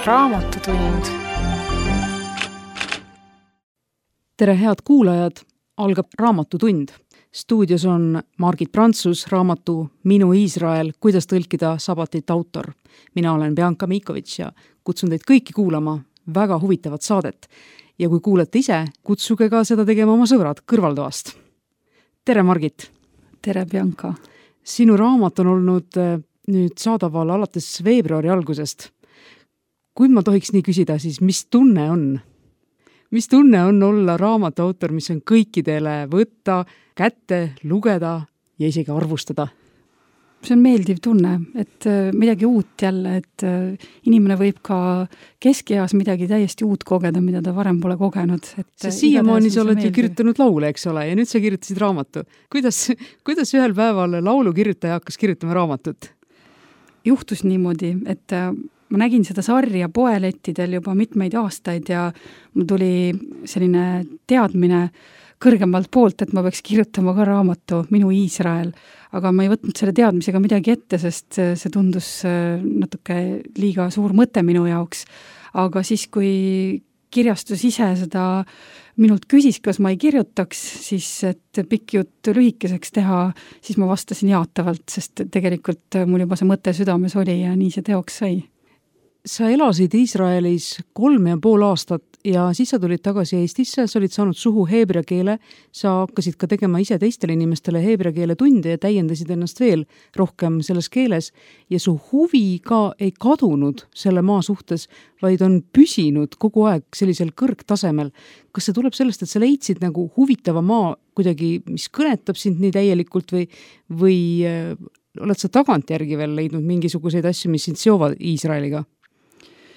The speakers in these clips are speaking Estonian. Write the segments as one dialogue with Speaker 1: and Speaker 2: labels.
Speaker 1: Raamatutund.
Speaker 2: Tere, head kuulajad! Algab Raamatutund. Stuudios on Margit Prantsus, raamatu Minu Iisrael, kuidas tõlkida sabatit autor. Mina olen Bianca Mikovitš ja kutsun teid kõiki kuulama väga huvitavat saadet. Ja kui kuulete ise, kutsuge ka seda tegema oma sõbrad kõrvaltoast. Tere, Margit!
Speaker 3: Tere, Bianca!
Speaker 2: Sinu raamat on olnud nüüd saadaval alates veebruari algusest. Kui ma tohiks nii küsida, siis mis tunne on? Mis tunne on olla raamatu autor, mis on kõikidele võtta, kätte, lugeda ja isegi arvustada?
Speaker 3: See on meeldiv tunne, et midagi uut jälle, et inimene võib ka keskeas midagi täiesti uut kogeda, mida ta varem pole kogenud.
Speaker 2: Siiamaani sa oled ju kirjutanud laule, eks ole, ja nüüd sa kirjutasid raamatu. Kuidas ühel päeval laulu kirjutaja hakkas kirjutama raamatut?
Speaker 3: Juhtus niimoodi, et ma nägin seda sarja poelettidel juba mitmeid aastaid ja mul tuli selline teadmine kõrgemalt poolt, et ma peaks kirjutama ka raamatu Minu Iisrael, aga ma ei võtnud selle teadmisega midagi ette, sest see tundus natuke liiga suur mõte minu jaoks. Aga siis, kui kirjastus ise seda minult küsis, kas ma ei kirjutaks, siis et pikk jutt lühikeseks teha, siis ma vastasin jaatavalt, sest tegelikult mul juba see mõte südames oli ja nii see teoks sai.
Speaker 2: Sa elasid Iisraelis 3,5 aastat ja siis sa tulid tagasi Eestisse, sa olid saanud suhu heebrea keele, sa hakkasid ka tegema ise teistele inimestele heebrea keele tunde ja täiendasid ennast veel rohkem selles keeles ja su huvi ka ei kadunud selle maa suhtes, vaid on püsinud kogu aeg sellisel kõrgtasemel. Kas see tuleb sellest, et sa leidsid nagu huvitava maa kuidagi, mis kõnetab sind nii täielikult või oled sa tagantjärgi veel leidnud mingisuguseid asju, mis sind seovad Iisraeliga?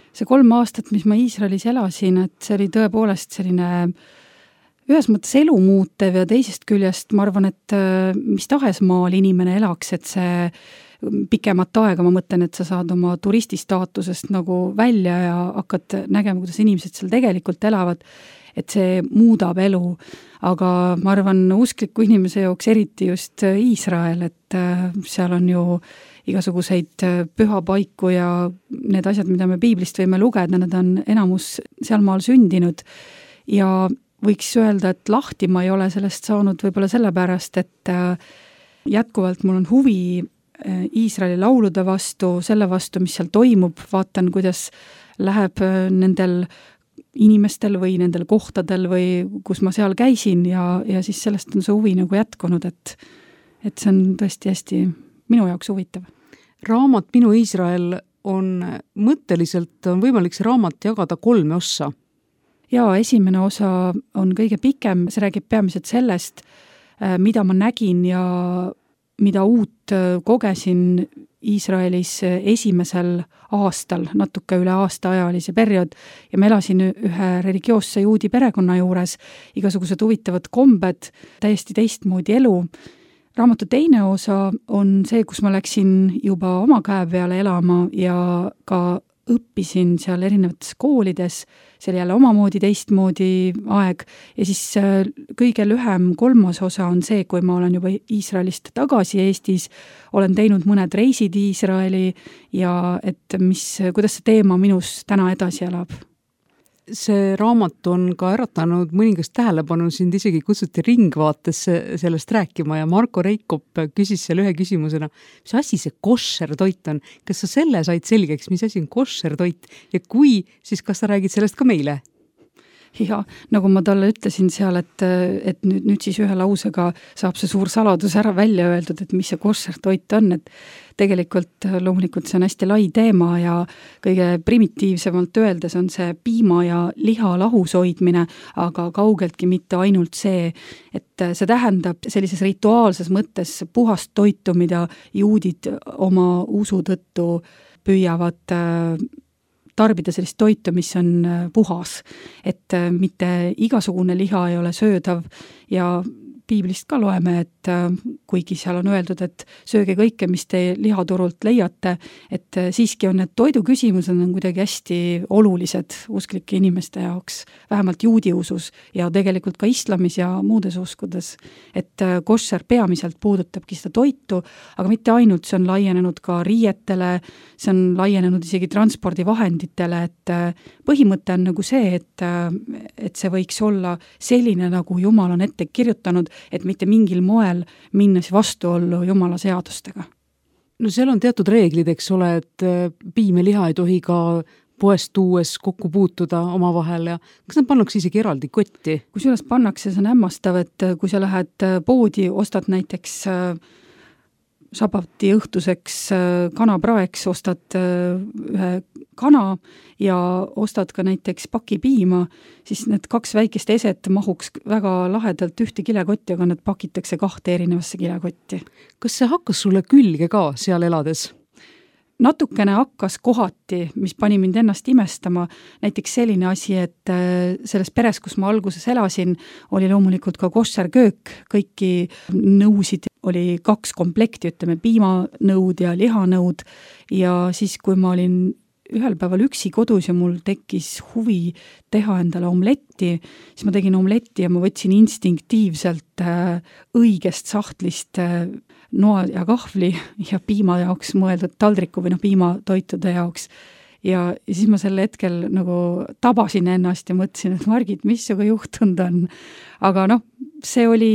Speaker 3: See 3 aastat, mis ma Iisraelis elasin, et see oli tõepoolest selline ühes mõttes elu muutev ja teisest küljest ma arvan, et mis tahes maal inimene elaks, et see pikemat aega, ma mõtlen, et sa saad oma turististaatusest nagu välja ja hakkad nägema, kuidas inimesed seal tegelikult elavad, et see muudab elu. Aga ma arvan, uskliku inimese jaoks eriti just Iisrael, et seal on ju igasuguseid pühapaiku ja need asjad, mida me piiblist võime lugeda, need on enamus seal maal sündinud ja võiks öelda, et lahti ma ei ole sellest saanud võib-olla sellepärast, et jätkuvalt mul on huvi Iisraeli laulude vastu, selle vastu, mis seal toimub, vaatan, kuidas läheb nendel inimestel või nendel kohtadel või kus ma seal käisin ja siis sellest on see huvi nagu jätkunud, et see on tõesti hästi minu jaoks huvitav.
Speaker 2: Raamat Minu Iisrael on mõtteliselt on võimalik see raamat jagada 3 ossa.
Speaker 3: Ja esimene osa on kõige pikem, see räägib peamiselt sellest, mida ma nägin ja mida uut kogesin Iisraelis esimesel aastal, natuke üle aastaaja oli see periood ja ma elasin ühe religioosse juudi perekonna juures, igasugused huvitavad kombed, täiesti teistmoodi elu. Raamatu teine osa on see, kus ma läksin juba oma käe peale elama ja ka õppisin seal erinevates koolides, see oli jälle omamoodi teistmoodi aeg ja siis kõige lühem 3. osa on see, kui ma olen juba Iisraelist tagasi Eestis, olen teinud mõned reisid Iisraeli ja et kuidas see teema minus täna edasi elab.
Speaker 2: See raamat on ka äratanud mõningast tähelepanu, sind isegi kutsuti Ringvaatesse sellest rääkima ja Marko Reikop küsis seal ühe küsimusena, mis asi see koššer toit on? Kas sa selle said selgeks, mis asi on koššer toit ja kui, siis kas sa räägid sellest ka meile?
Speaker 3: Ja nagu ma talle ütlesin seal, et nüüd siis ühe lausega saab see suur saladus ära välja öeldud, et mis see koššer toit on, et tegelikult loomulikult see on hästi lai teema ja kõige primitiivsemalt öeldes on see piima ja liha lahus hoidmine, aga kaugeltki mitte ainult see, et see tähendab sellises rituaalses mõttes puhast toitu, mida juudid oma usu tõttu püüavad tarbida sellist toitu, mis on puhas, et mitte igasugune liha ei ole söödav ja piiblist ka loeme, et kuigi seal on öeldud, et sööge kõike, mis te lihaturult leiate, et siiski on need toiduküsimused on kuidagi hästi olulised usklike inimeste jaoks, vähemalt juudi usus ja tegelikult ka islamis ja muudes uskudes. Et koššer peamiselt puudutabki seda toitu, aga mitte ainult, see on laienenud ka riietele, see on laienenud isegi transpordivahenditele, et põhimõte on nagu see, et see võiks olla selline, nagu Jumal on ette kirjutanud, et mitte mingil moel minnes vastuollu Jumala seadustega.
Speaker 2: No seal on teatud reeglid, eks ole, et piim ja liha ei tohi ka poest tuues kokku puutuda omavahel ja kas nad pannakse isegi eraldi kotti?
Speaker 3: Kusjuures pannakse, see on hämmastav, et kui sa lähed poodi, ostad näiteks sabati õhtuseks kanapraeks, ostad ühe kana ja ostad ka näiteks paki piima, siis need 2 väikest eset mahuks väga lahedalt ühte kilekotti, aga nad pakitakse 2 erinevasse kilekotti.
Speaker 2: Kas see hakkas sulle külge ka seal elades?
Speaker 3: Natukene hakkas kohati, mis pani mind ennast imestama, näiteks selline asi, et selles peres, kus ma alguses elasin, oli loomulikult ka koššerköök, kõiki nõusid oli 2 komplekti, ütleme piimanõud ja lihanõud ja siis, kui ma olin ühel päeval üksi kodus ja mul tekkis huvi teha endale omletti, siis ma tegin omletti ja ma võtsin instinktiivselt õigest sahtlist noa ja kahvli ja piima jaoks mõeldud taldriku või piimatoitude jaoks. Ja siis ma sel hetkel nagu tabasin ennast ja mõtlesin, et Margit, mis sinuga juhtunud on? Aga see oli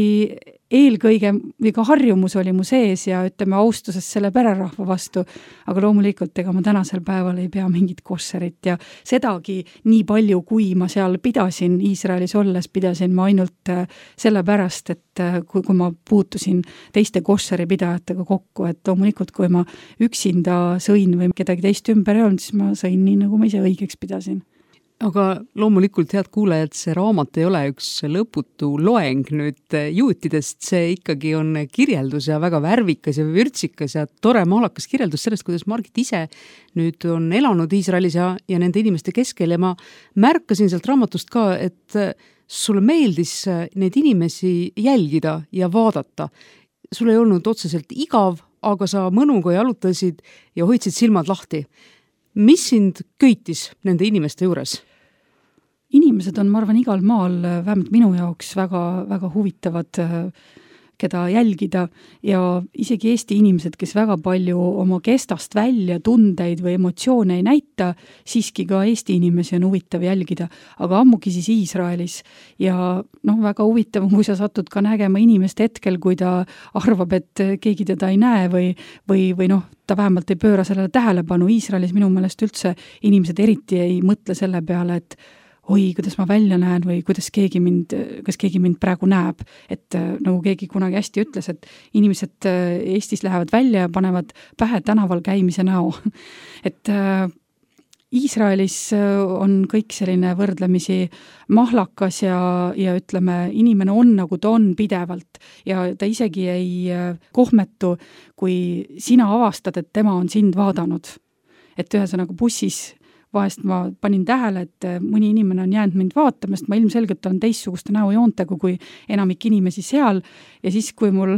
Speaker 3: eelkõige, või ka harjumus oli mu sees ja ütleme austuses selle pererahva vastu, aga loomulikult ega ma tänasel päeval ei pea mingit koššerit ja sedagi nii palju, kui ma seal pidasin, Iisraelis olles pidasin ma ainult sellepärast, et kui ma puutusin teiste koššeri pidajatega kokku, et loomulikult, kui ma üksinda sõin või kedagi teist ümber ei olnud, siis ma sõin nii, nagu ma ise õigeks pidasin.
Speaker 2: Aga loomulikult, head kuulajad, see raamat ei ole üks lõputu loeng nüüd juutidest, see ikkagi on kirjeldus ja väga värvikas ja vürtsikas ja tore maalakas kirjeldus sellest, kuidas Margit ise nüüd on elanud Iisraelis ja nende inimeste keskel ja ma märkasin sealt raamatust ka, et sulle meeldis neid inimesi jälgida ja vaadata. Sul ei olnud otseselt igav, aga sa mõnuga jalutasid ja hoidsid silmad lahti. Mis sind köitis nende inimeste juures?
Speaker 3: Inimesed on, ma arvan, igal maal vähemalt minu jaoks väga, väga huvitavad, keda jälgida ja isegi Eesti inimesed, kes väga palju oma kestast välja tundeid või emotsioone ei näita, siiski ka Eesti inimesi on huvitav jälgida, aga ammugi siis Iisraelis ja väga huvitav, kui sa satud ka nägema inimest hetkel, kui ta arvab, et keegi teda ei näe või ta vähemalt ei pööra sellele tähelepanu. Iisraelis minu meelest üldse inimesed eriti ei mõtle selle peale, et oi, kuidas ma välja näen või kas keegi mind praegu näeb. Et nagu keegi kunagi hästi ütles, et inimesed Eestis lähevad välja ja panevad pähe tänaval käimise näo. Et Iisraelis on kõik selline võrdlemisi mahlakas ja ütleme, inimene on nagu ta on pidevalt ja ta isegi ei kohmetu, kui sina avastad, et tema on sind vaadanud. Et ühesõnaga bussis vahest ma panin tähele, et mõni inimene on jäänud mind vaatama, sest ma ilmselgelt olen teistsuguste näojoontega kui enamik inimesi seal ja siis, kui mul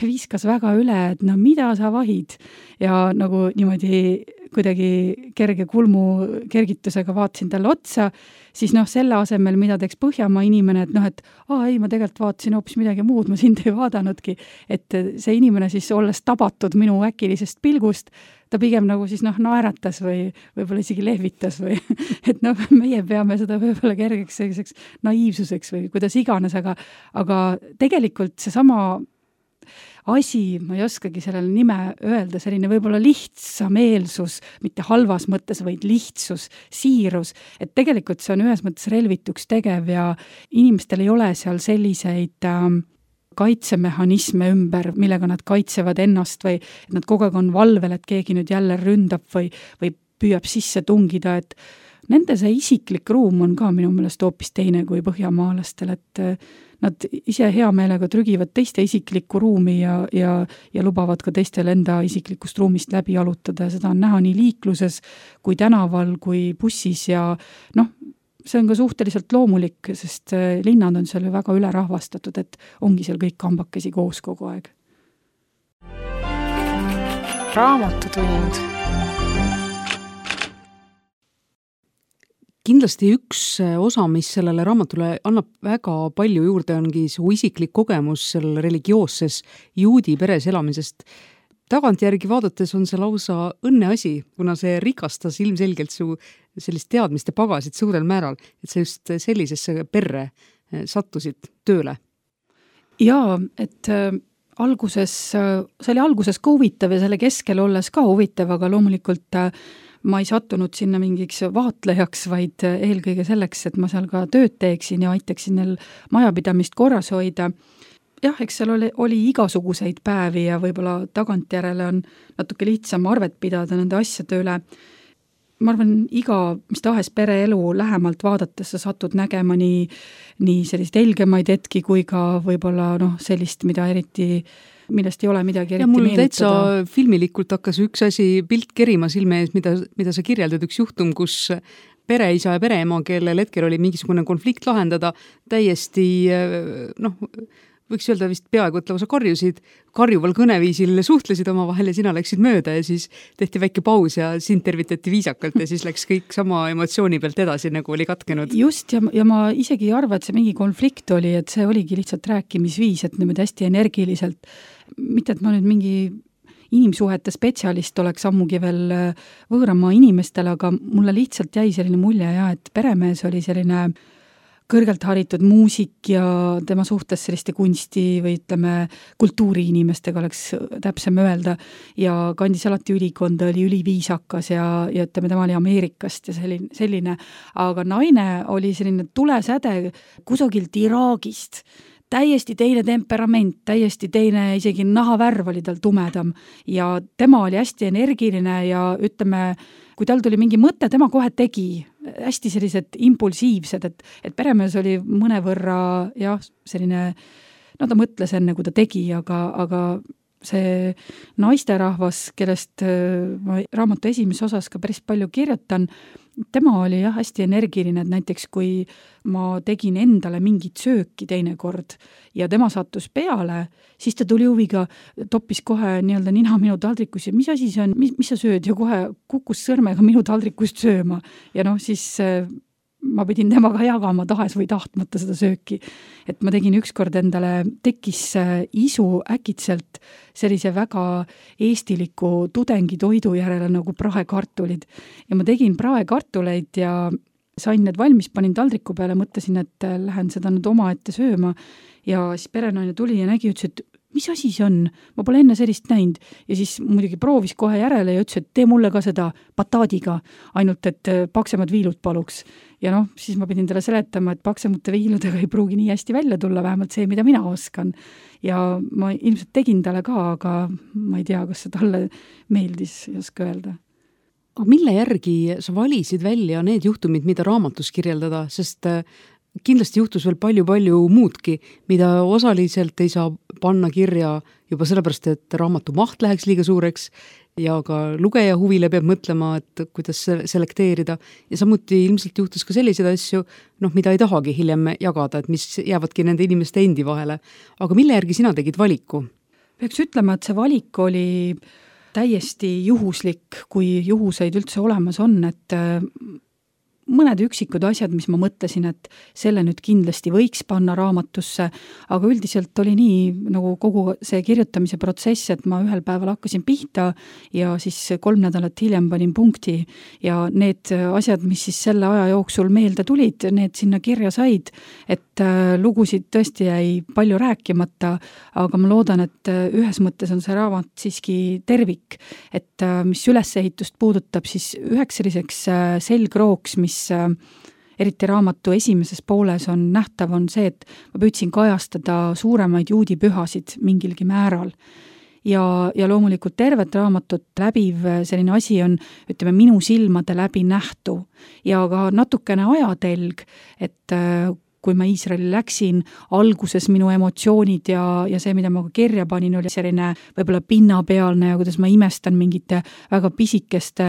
Speaker 3: viskas väga üle, et mida sa vahid ja nagu niimoodi kuidagi kerge kulmu kergitusega vaatasin talle otsa, siis selle asemel, mida teeks Põhjamaa inimene, et ei, ma tegelikult vaatasin hoopis midagi muud, ma sind ei vaadanudki, et see inimene siis olles tabatud minu äkilisest pilgust, ta pigem nagu siis naeratas või võib-olla isegi lehvitas või et meie peame seda võib-olla kergeks selliseks naiivsuseks või kuidas iganes, aga tegelikult seesama asi, ma ei oskagi sellele nime öelda, selline võib-olla lihtsameelsus, mitte halvas mõttes, vaid lihtsus, siirus, et tegelikult see on ühes mõttes relvituks tegev ja inimestel ei ole seal selliseid kaitsemehhanisme ümber, millega nad kaitsevad ennast või et nad kogu aeg on valvel, et keegi nüüd jälle ründab või püüab sisse tungida, et nende see isiklik ruum on ka minu meelest hoopis teine kui põhjamaalastel, et nad ise hea meelega trügivad teiste isiklikku ruumi ja lubavad ka teistel enda isiklikust ruumist läbi jalutada ja seda on näha nii liikluses kui tänaval kui bussis ja see on ka suhteliselt loomulik, sest linnad on seal ju väga ülerahvastatud, et ongi seal kõik kambakesi koos kogu aeg.
Speaker 1: Raamatutund.
Speaker 2: Kindlasti üks osa, mis sellele raamatule annab väga palju juurde, ongi su isiklik kogemus seal religioosses juudi peres elamisest. Tagantjärgi vaadates on see lausa õnneasi, kuna see rikastas ilmselgelt su sellist teadmiste pagasid suurel määral, et sa just sellisesse perre sattusid tööle.
Speaker 3: Jaa, et see oli alguses ka huvitav ja selle keskel olles ka huvitav, aga loomulikult ma ei sattunud sinna mingiks vaatlejaks, vaid eelkõige selleks, et ma seal ka tööd teeksin ja aitaksin neil majapidamist korras hoida. Jah, eks seal oli igasuguseid päevi ja võib-olla tagantjärele on natuke lihtsam arvet pidada nende asjade üle. Ma arvan, mis tahes pereelu lähemalt vaadates sa satud nägema nii sellist helgemaid hetki kui ka võib-olla sellist, millest ei ole midagi eriti
Speaker 2: meenutada. Ja mul
Speaker 3: täitsa
Speaker 2: filmilikult hakkas üks asi pilt kerima silme ees, mida sa kirjeldad, üks juhtum, kus pereisa ja pereema, kellel hetkel oli mingisugune konflikt lahendada, täiesti võiks öelda vist peaaegu, et lausa karjuval kõneviisil suhtlesid omavahel ja sina läksid mööda ja siis tehti väike paus ja sind tervitati viisakalt ja siis läks kõik sama emotsiooni pealt edasi, nagu oli katkenud.
Speaker 3: Just, ja ma isegi ei arva, et see mingi konflikt oli, et see oligi lihtsalt rääkimisviis, et niimoodi hästi energiliselt. Mitte, et ma nüüd mingi inimsuhete spetsialist oleks ammugi veel võõramaa inimestele, aga mulle lihtsalt jäi selline mulje et peremees oli selline kõrgelt haritud muusik ja tema suhtes selliste kunsti või ütleme kultuuriinimestega oleks täpsem öelda ja kandis alati ülikonda, oli üliviisakas ja ütleme, tema oli Ameerikast ja selline, aga naine oli selline tulesäde kusagilt Iraagist, täiesti teine temperament, täiesti teine, isegi nahavärv oli tal tumedam ja tema oli hästi energiline ja ütleme, kui tal tuli mingi mõte, tema kohe tegi, hästi sellised impulsiivsed, et peremees oli mõnevõrra selline, ta mõtles enne, kui ta tegi, aga see naisterahvas, kellest ma raamatu esimeses osas ka päris palju kirjutan, tema oli hästi energiline, et näiteks kui ma tegin endale mingit sööki teinekord ja tema sattus peale, siis ta tuli huviga, toppis kohe nii-öelda nina minu taldrikus ja mis asi see on, mis sa sööd ja kohe kukkus sõrmega minu taldrikust sööma ja siis ma pidin temaga jagama tahes või tahtmata seda sööki. Et ma tegin ükskord endale, tekkis isu äkitselt sellise väga eestiliku tudengitoidu järele nagu praekartulid. Ja ma tegin praekartuleid ja sain need valmis, panin taldriku peale, mõtlesin, et lähen seda nüüd oma ette sööma ja siis perenaine tuli ja nägi, ütles, et mis asi see on? Ma pole enne sellist näinud. Ja siis muidugi proovis kohe järele ja ütles, et tee mulle ka seda bataadiga, ainult et paksemad viilud paluks. Ja siis ma pidin talle seletama, et paksemate viiludega ei pruugi nii hästi välja tulla, vähemalt see, mida mina oskan. Ja ma ilmselt tegin talle ka, aga ma ei tea, kas see talle meeldis, ei oska öelda.
Speaker 2: Aga mille järgi sa valisid välja need juhtumid, mida raamatus kirjeldada, sest kindlasti juhtus veel palju muudki, mida osaliselt ei saa panna kirja juba sellepärast, et raamatu maht läheks liiga suureks ja ka lugeja huvile peab mõtlema, et kuidas selekteerida. Ja samuti ilmselt juhtus ka selliseid asju, mida ei tahagi hiljem jagada, et mis jäävadki nende inimeste endi vahele. Aga mille järgi sina tegid valiku?
Speaker 3: Peaks ütlema, et see valik oli täiesti juhuslik, kui juhuseid üldse olemas on, et mõned üksikud asjad, mis ma mõtlesin, et selle nüüd kindlasti võiks panna raamatusse, aga üldiselt oli nii nagu kogu see kirjutamise protsess, et ma ühel päeval hakkasin pihta ja siis 3 nädalat hiljem panin punkti ja need asjad, mis siis selle aja jooksul meelde tulid, need sinna kirja said, et lugusid tõesti jäi palju rääkimata, aga ma loodan, et ühes mõttes on see raamat siiski tervik, et mis ülesehitust puudutab, siis üheks selliseks selgrooks, mis eriti raamatu esimeses pooles on nähtav, on see, et ma püüdsin kajastada suuremaid juudi pühasid mingilgi määral. Ja loomulikult tervet raamatut läbiv selline asi on, ütleme, minu silmade läbi nähtu ja ka natukene ajatelg, et kui ma Iisraeli läksin, alguses minu emotsioonid ja see, mida ma kirja panin, oli selline võib-olla pinnapealne ja kuidas ma imestan mingite väga pisikeste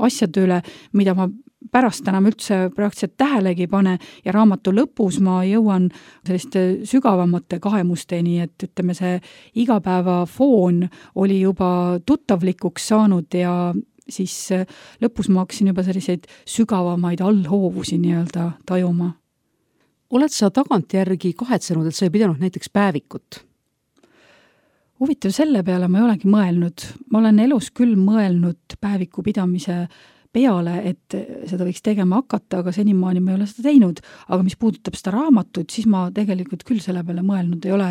Speaker 3: asjade üle, mida ma pärast enam üldse praktiliselt tähelegi pane ja raamatu lõpus ma jõuan selliste sügavamate kaemusteni, et ütleme, see igapäeva foon oli juba tuttavlikuks saanud ja siis lõpus ma hakkasin juba selliseid sügavamaid allhoovusi nii-öelda tajuma.
Speaker 2: Oled sa tagantjärgi kahetsenud, et sa ei pidanud näiteks päevikut?
Speaker 3: Huvitav, selle peale ma ei olegi mõelnud. Ma olen elus küll mõelnud päeviku pidamise peale, et seda võiks tegema hakata, aga senimaani ma ei ole seda teinud. Aga mis puudutab seda raamatut, siis ma tegelikult küll selle peale mõelnud ei ole,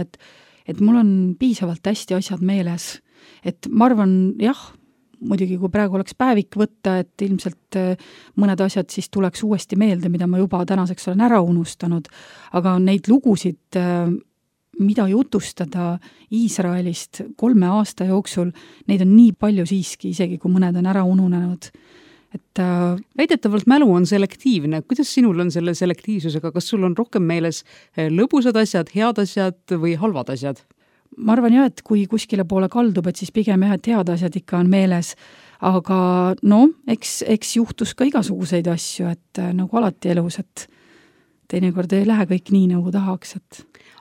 Speaker 3: et mul on piisavalt hästi asjad meeles. Et ma arvan, jah, muidugi kui praegu oleks päevik võtta, et ilmselt mõned asjad siis tuleks uuesti meelde, mida ma juba tänaseks olen ära unustanud. Aga neid lugusid, mida jutustada Iisraelist 3 aasta jooksul, neid on nii palju siiski, isegi kui mõned on ära ununenud. Et
Speaker 2: väidetavalt mälu on selektiivne. Kuidas sinul on selle selektiivsusega? Kas sul on rohkem meeles lõbusad asjad, head asjad või halvad asjad?
Speaker 3: Ma arvan jah, et kui kuskile poole kaldub, et siis pigem jah, et head asjad ikka on meeles. Aga no, eks juhtus ka igasuguseid asju, et nagu alati elus, et teinekord ei lähe kõik nii, nagu tahaks.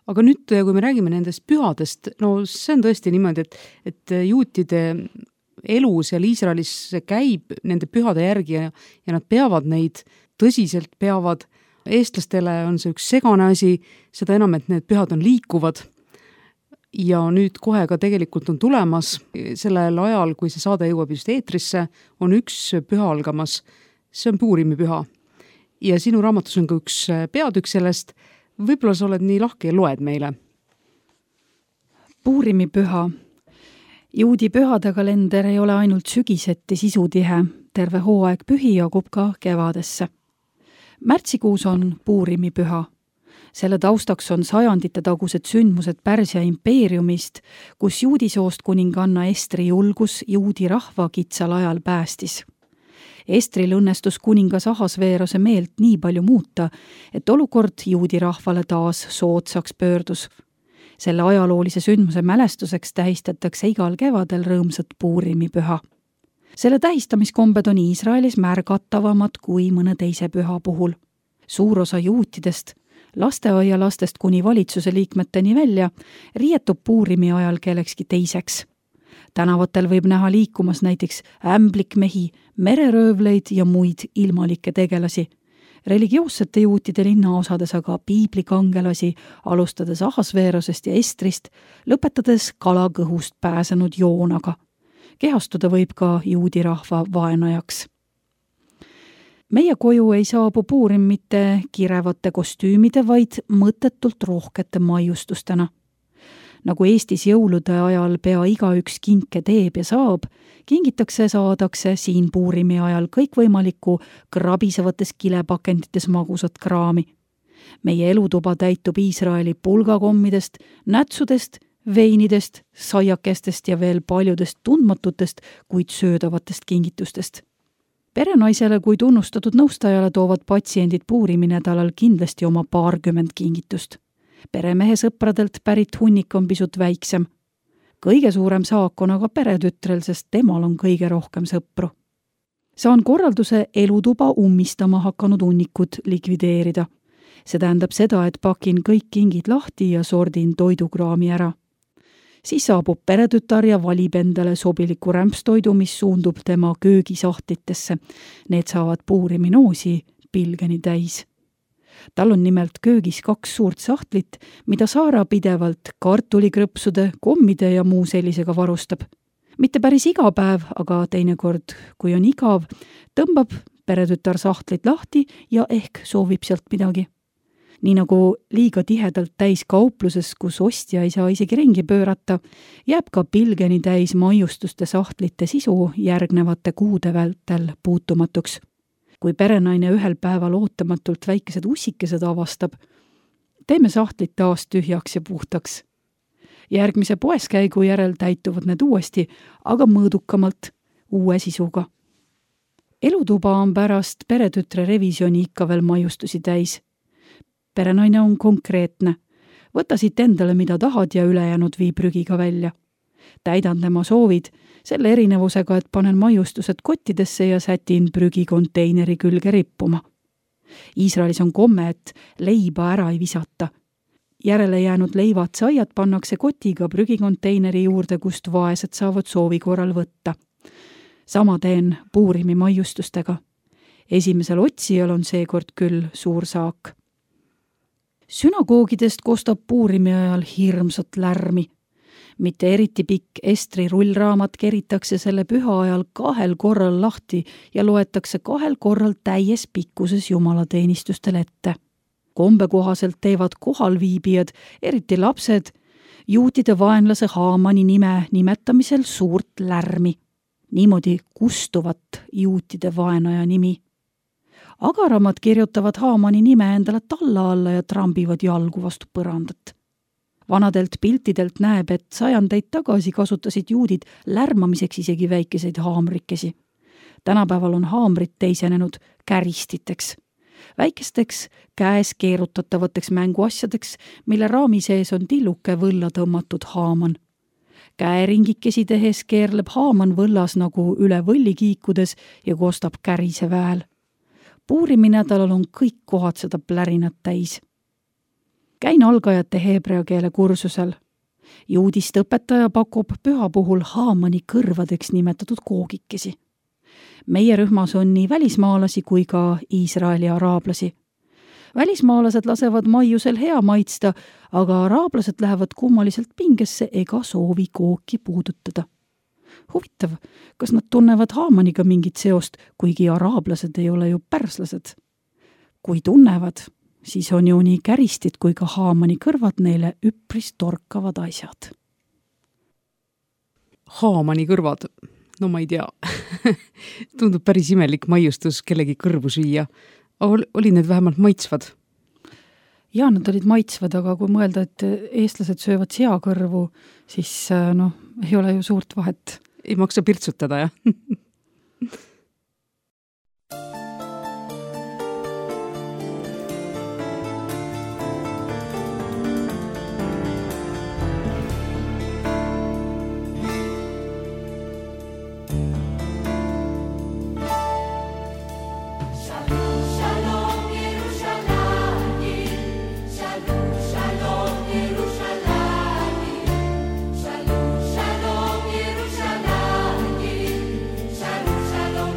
Speaker 2: Aga nüüd, kui me räägime nendest pühadest, no see on tõesti niimoodi, et juutide elu seal Iisraelis käib nende pühade järgi ja nad peavad neid tõsiselt, peavad. Eestlastele on see üks segane asi, seda enam, et need pühad on liikuvad. Ja nüüd kohe ka tegelikult on tulemas, sellel ajal, kui see saade jõuab just eetrisse, on üks püha algamas, see on Puurimi püha. Ja sinu raamatus on ka üks peatükk sellest, võib-olla sa oled nii lahke ja loed meile.
Speaker 3: Puurimi püha. Juudi pühade kalender ei ole ainult sügiseti sisutihe, terve hooaeg pühi jagub ka kevadesse. Märtsikuus on Puurimi püha. Selle taustaks on sajandite tagused sündmused Pärsia impeeriumist, kus juudisoost kuninganna Estri julgus juudi rahva kitsal ajal päästis. Estril õnnestus kuningas Ahasveerose meelt nii palju muuta, et olukord juudi rahvale taas soodsaks pöördus. Selle ajaloolise sündmuse mälestuseks tähistatakse igal kevadel rõõmsat Puurimi püha. Selle tähistamiskombed on Iisraelis märgatavamad kui mõne teise püha puhul. Suur osa juutidest, lasteaialastest kuni valitsuse liikmeteni välja, riietub Puurimi ajal kellekski teiseks. Tänavatel võib näha liikumas näiteks ämblikmehi, mereröövleid ja muid ilmalikke tegelasi. Religioossete juutide linnaosades aga piiblikangelasi, alustades Ahasveerosest ja Estrist, lõpetades kalakõhust pääsenud Joonaga. Kehastuda võib ka juudi rahva vaenajaks. Meie koju ei saabu Puurim mitte kirevate kostüümide, vaid mõttetult rohkete maiustustena. Nagu Eestis jõulude ajal pea igaüks kinke teeb ja saab, kingitakse saadakse siin Puurimi ajal kõikvõimalikku krabisevates kilepakendites magusat kraami. Meie elutuba täitub Iisraeli pulgakommidest, nätsudest, veinidest, saiakestest ja veel paljudest tundmatutest, kuid söödavatest kingitustest. Perenaisele kui tunnustatud nõustajale toovad patsiendid Puurimi nädalal kindlasti oma 20 kingitust. Peremehe sõpradelt pärit hunnik on pisut väiksem. Kõige suurem saak on aga peretütrel, sest temal on kõige rohkem sõpru. Saan korralduse elutuba ummistama hakanud hunnikud likvideerida. See tähendab seda, et pakin kõik kingid lahti ja sordin toidukraami ära. Siis saabub peretütar ja valib endale sobiliku rämpstoidu, mis suundub tema köögisahtlitesse. Need saavad Puurimi noosi pilgeni täis. Tal on nimelt köögis 2 suurt sahtlit, mida Saara pidevalt kartulikrõpsude, kommide ja muu sellisega varustab. Mitte päris iga päev, aga teinekord, kui on igav, tõmbab peretütar sahtlit lahti ja ehk soovib sealt midagi. Nii nagu liiga tihedalt täis kaupluses, kus ostja ei saa isegi ringi pöörata, jääb ka pilgeni täis maiustuste sahtlite sisu järgnevate kuude vältel puutumatuks. Kui perenaine ühel päeval ootamatult väikesed ussikesed avastab, teeme sahtlid taas tühjaks ja puhtaks. Järgmise poeskäigu järel täituvad need uuesti, aga mõõdukamalt, uue sisuga. Elutuba on pärast peretütre revisjoni ikka veel maiustusi täis. Perenaine on konkreetne. Võta siit endale, mida tahad ja ülejäänud vii prügiga välja. täidan tema soovid, selle erinevusega, et panen maiustused kottidesse ja sätin prügikonteineri külge rippuma. Iisraelis on komme, et leiba ära ei visata. Järele jäänud leivad saiad pannakse kotiga prügikonteineri juurde, kust vaesed saavad soovi korral võtta. Sama teen Puurimi maiustustega. Esimesel otsijal on seekord küll suur saak. Sünagoogidest kostab Puurimi ajal hirmsat lärmi. Mitte eriti pikk Estri rullraamat keritakse selle püha ajal 2 korral lahti ja loetakse 2 korral täies pikkuses jumalateenistustel ette. Kombe kohaselt teevad kohalviibijad, eriti lapsed, juutide vaenlase Haamani nime nimetamisel suurt lärmi. Niimoodi kustuvat juutide vaenaja nimi. Agaramad kirjutavad Haamani nime endale talla alla ja trambivad jalgu vastu põrandat. Vanadelt piltidelt näeb, et 100 tagasi kasutasid juudid lärmamiseks isegi väikeseid haamrikesi. Tänapäeval on haamrid teisenenud käristiteks. Väikesteks käes keerutatavateks mänguasjadeks, mille raami sees on tilluke võlla tõmmatud haaman. Käeringikesi tehes keerleb haaman võllas nagu üle võlli kiikudes ja kostab kärise väel. Puurimi nädalal on kõik kohad seda plärinat täis. Käin algajate heebrea keele kursusel. Juudist õpetaja pakub püha puhul Haamani kõrvadeks nimetatud koogikesi. Meie rühmas on nii välismaalasi kui ka Iisraeli araablasi. Välismaalased lasevad maiusel hea maitsta, aga araablased lähevad kummaliselt pingesse ega soovi kooki puudutada. Huvitav, kas nad tunnevad Haamaniga mingit seost, kuigi araablased ei ole ju pärslased? Kui tunnevad, siis on ju nii käristid kui ka Haamani kõrvad neile üpris torkavad asjad.
Speaker 2: Haamani kõrvad? No ma ei tea. Tundub päris imelik maiustus kellegi kõrvu süüa. Oli need vähemalt maitsvad?
Speaker 3: Jaa, nad olid maitsvad, aga kui mõelda, et eestlased söövad seakõrvu, siis ei ole ju suurt vahet.
Speaker 2: Ei maksa pirtsutada, jah?
Speaker 4: Shalom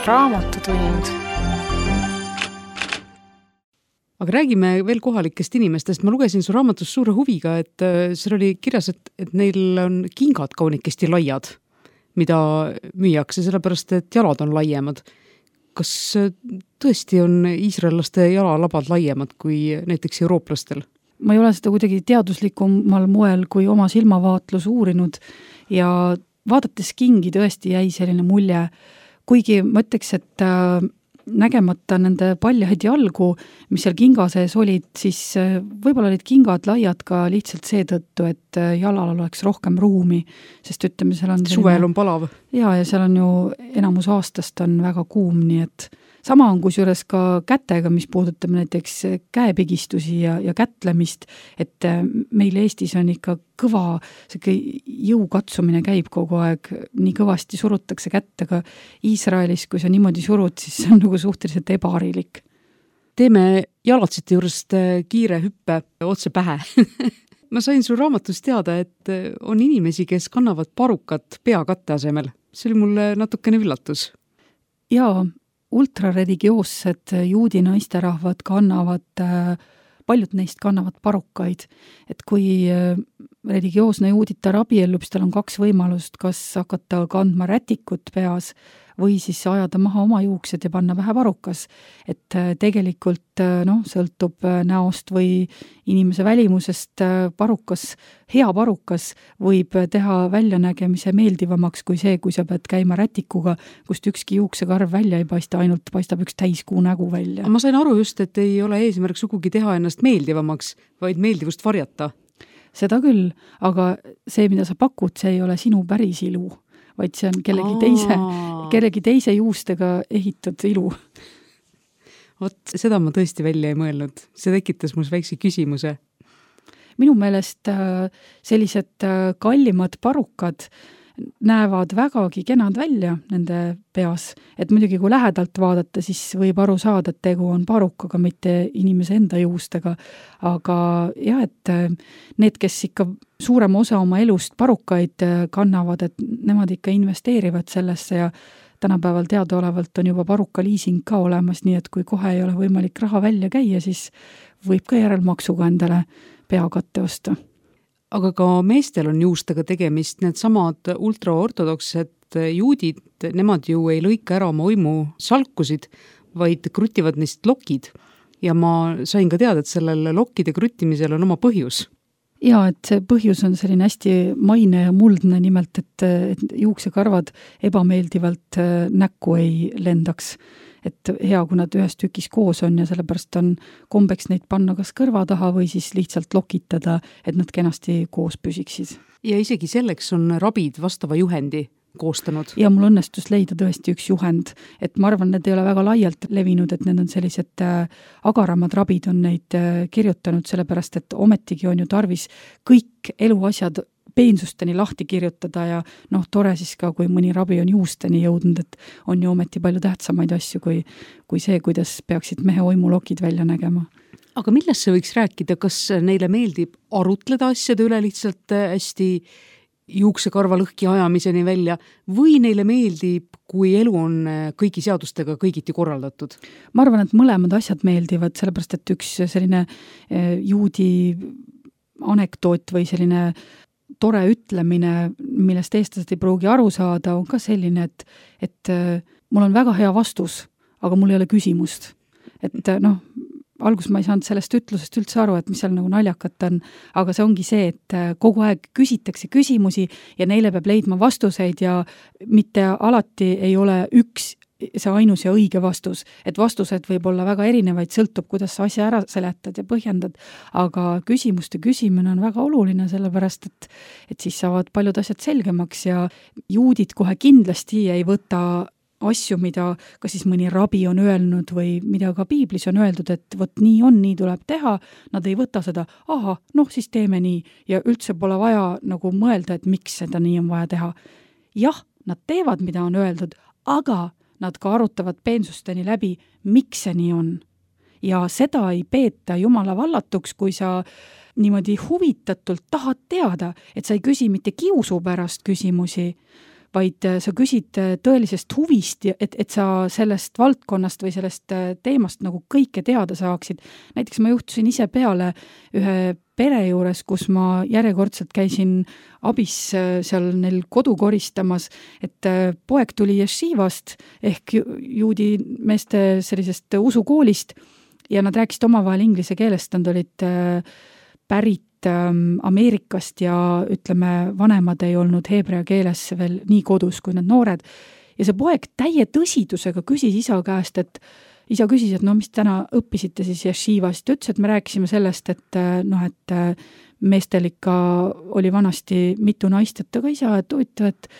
Speaker 1: Raamatutund.
Speaker 2: Aga räägime veel kohalikest inimestest. Ma lugesin su raamatus suure huviga, et seal oli kirjas, et neil on kingad kaunikesti laiad, mida müüakse, sellepärast et jalad on laiemad. Kas tõesti on iisraellaste jalalabad laiemad kui näiteks eurooplastel?
Speaker 3: Ma ei ole seda kuidagi teaduslikumal moel kui oma silmavaatlus uurinud ja vaadates kingi tõesti jäi selline mulje, kuigi ma ütleks, et nägemata nende paljaid jalgu, mis seal kinga sees olid, siis võib-olla olid kingad laiad ka lihtsalt seetõttu, et jalal oleks rohkem ruumi, sest ütleme, seal on
Speaker 2: suvel on palav.
Speaker 3: Ja seal on ju enamus aastast on väga kuum, nii et sama on kusjuures ka kätega, mis puudutab näiteks käepigistusi ja kätlemist, et meil Eestis on ikka kõva, jõukatsumine käib kogu aeg, nii kõvasti surutakse kätt, aga Iisraelis, kui sa niimoodi surud, siis see on nagu suhteliselt ebaharilik.
Speaker 2: Teeme jalatsite juurest kiire hüppe otse pähe. Ma sain su raamatust teada, et on inimesi, kes kannavad parukat peakatte asemel. See oli mulle natukene üllatus.
Speaker 3: Jaa, ultrareligioossed juudi naisterahvad kannavad, paljud neist kannavad parukaid, et kui religioosne juuditar abiellub, siis tal on 2 võimalust, kas hakata kandma rätikut peas või siis ajada maha oma juuksed ja panna vähe parukas. Et tegelikult sõltub näost või inimese välimusest parukas, hea parukas võib teha väljanägemise meeldivamaks kui see, kui sa pead käima rätikuga, kust ükski juuksekarv välja ei paista, ainult paistab üks täiskuu nägu välja.
Speaker 2: Ma sain aru just, et ei ole eesmärk sugugi teha ennast meeldivamaks, vaid meeldivust varjata.
Speaker 3: Seda küll, aga see, mida sa pakud, see ei ole sinu päris ilu, vaid see on kellegi teise juustega ehitud ilu.
Speaker 2: Vot, seda ma tõesti välja ei mõelnud. See tekitas mul väikse küsimuse.
Speaker 3: Minu meelest sellised kallimad parukad näevad vägagi kenad välja nende peas. Et muidugi kui lähedalt vaadata, siis võib aru saada, et tegu on parukaga, mitte inimese enda juustega. Aga jah, et need, kes ikka suurem osa oma elust parukaid kannavad, et nemad ikka investeerivad sellesse ja tänapäeval teadaolevalt on juba paruka liising ka olemas, nii et kui kohe ei ole võimalik raha välja käia, siis võib ka järelmaksuga endale peakatte osta.
Speaker 2: Aga ka meestel on juustega tegemist, need samad ultraortodoksed juudid, nemad ju ei lõika ära oma uimu salkusid, vaid krutivad neist lokid. Ja ma sain ka teada, et sellel lokkide kruttimisel on oma põhjus.
Speaker 3: Ja, et see põhjus on selline hästi maine ja muldne nimelt, et juuksekarvad ebameeldivalt näkku ei lendaks. Et hea, kui nad ühes tükis koos on ja sellepärast on kombeks neid panna kas kõrva taha või siis lihtsalt lokitada, et nad kenasti koos püsiksid.
Speaker 2: Ja isegi selleks on rabid vastava juhendi koostanud.
Speaker 3: Ja mul õnnestus leida tõesti üks juhend, et ma arvan, need ei ole väga laialt levinud, et need on sellised agaramad rabid on neid kirjutanud, sellepärast et ometigi on ju tarvis kõik eluasjad peensusteni lahti kirjutada ja tore siis ka, kui mõni rabi on juusteni jõudnud, et on ju ometi palju tähtsamaid asju kui see, kuidas peaksid mehe oimulokid välja nägema.
Speaker 2: Aga millest see võiks rääkida? Kas neile meeldib arutleda asjade üle lihtsalt hästi juuksekarva lõhki ajamiseni välja või neile meeldib, kui elu on kõigi seadustega kõigiti korraldatud?
Speaker 3: Ma arvan, et mõlemad asjad meeldivad, sellepärast et üks selline juudi anekdoot või selline tore ütlemine, millest eestlased ei pruugi aru saada, on ka selline, et mul on väga hea vastus, aga mul ei ole küsimust. Et alguses ma ei saanud sellest ütlusest üldse aru, et mis seal nagu naljakat on, aga see ongi see, et kogu aeg küsitakse küsimusi ja neile peab leidma vastuseid ja mitte alati ei ole üks see ainus ja õige vastus, et vastused võib olla väga erinevaid, sõltub, kuidas sa asja ära seletad ja põhjendad, aga küsimuste küsimine on väga oluline, sellepärast et siis saavad paljud asjad selgemaks ja juudid kohe kindlasti ei võta asju, mida ka siis mõni rabi on öelnud või mida ka piiblis on öeldud, et vot nii on, nii tuleb teha, nad ei võta seda, siis teeme nii ja üldse pole vaja nagu mõelda, et miks seda nii on vaja teha. Jah, nad teevad, mida on öeldud, aga nad ka arutavad peensusteni läbi, miks see nii on. Ja seda ei peeta jumala vallatuks, kui sa niimoodi huvitatult tahad teada, et sa ei küsi mitte kiusu pärast küsimusi, vaid sa küsid tõelisest huvist, et sa sellest valdkonnast või sellest teemast nagu kõike teada saaksid. Näiteks ma juhtusin ise peale ühe pere juures, kus ma järjekordselt käisin abis seal neil kodu koristamas, et poeg tuli ješivast ehk juudi meeste sellisest usukoolist ja nad rääkisid omavahel inglise keelest, nad olid pärit Ameerikast ja ütleme, vanemad ei olnud heebrea keeles veel nii kodus kui need noored. Ja see poeg täie tõsidusega küsis isa käest, et isa küsis, et no mis täna õppisite siis ješivast. Ta ütles, et me rääkisime sellest, et meestel ikka oli vanasti mitu naist, et aga isa, et huvitav, et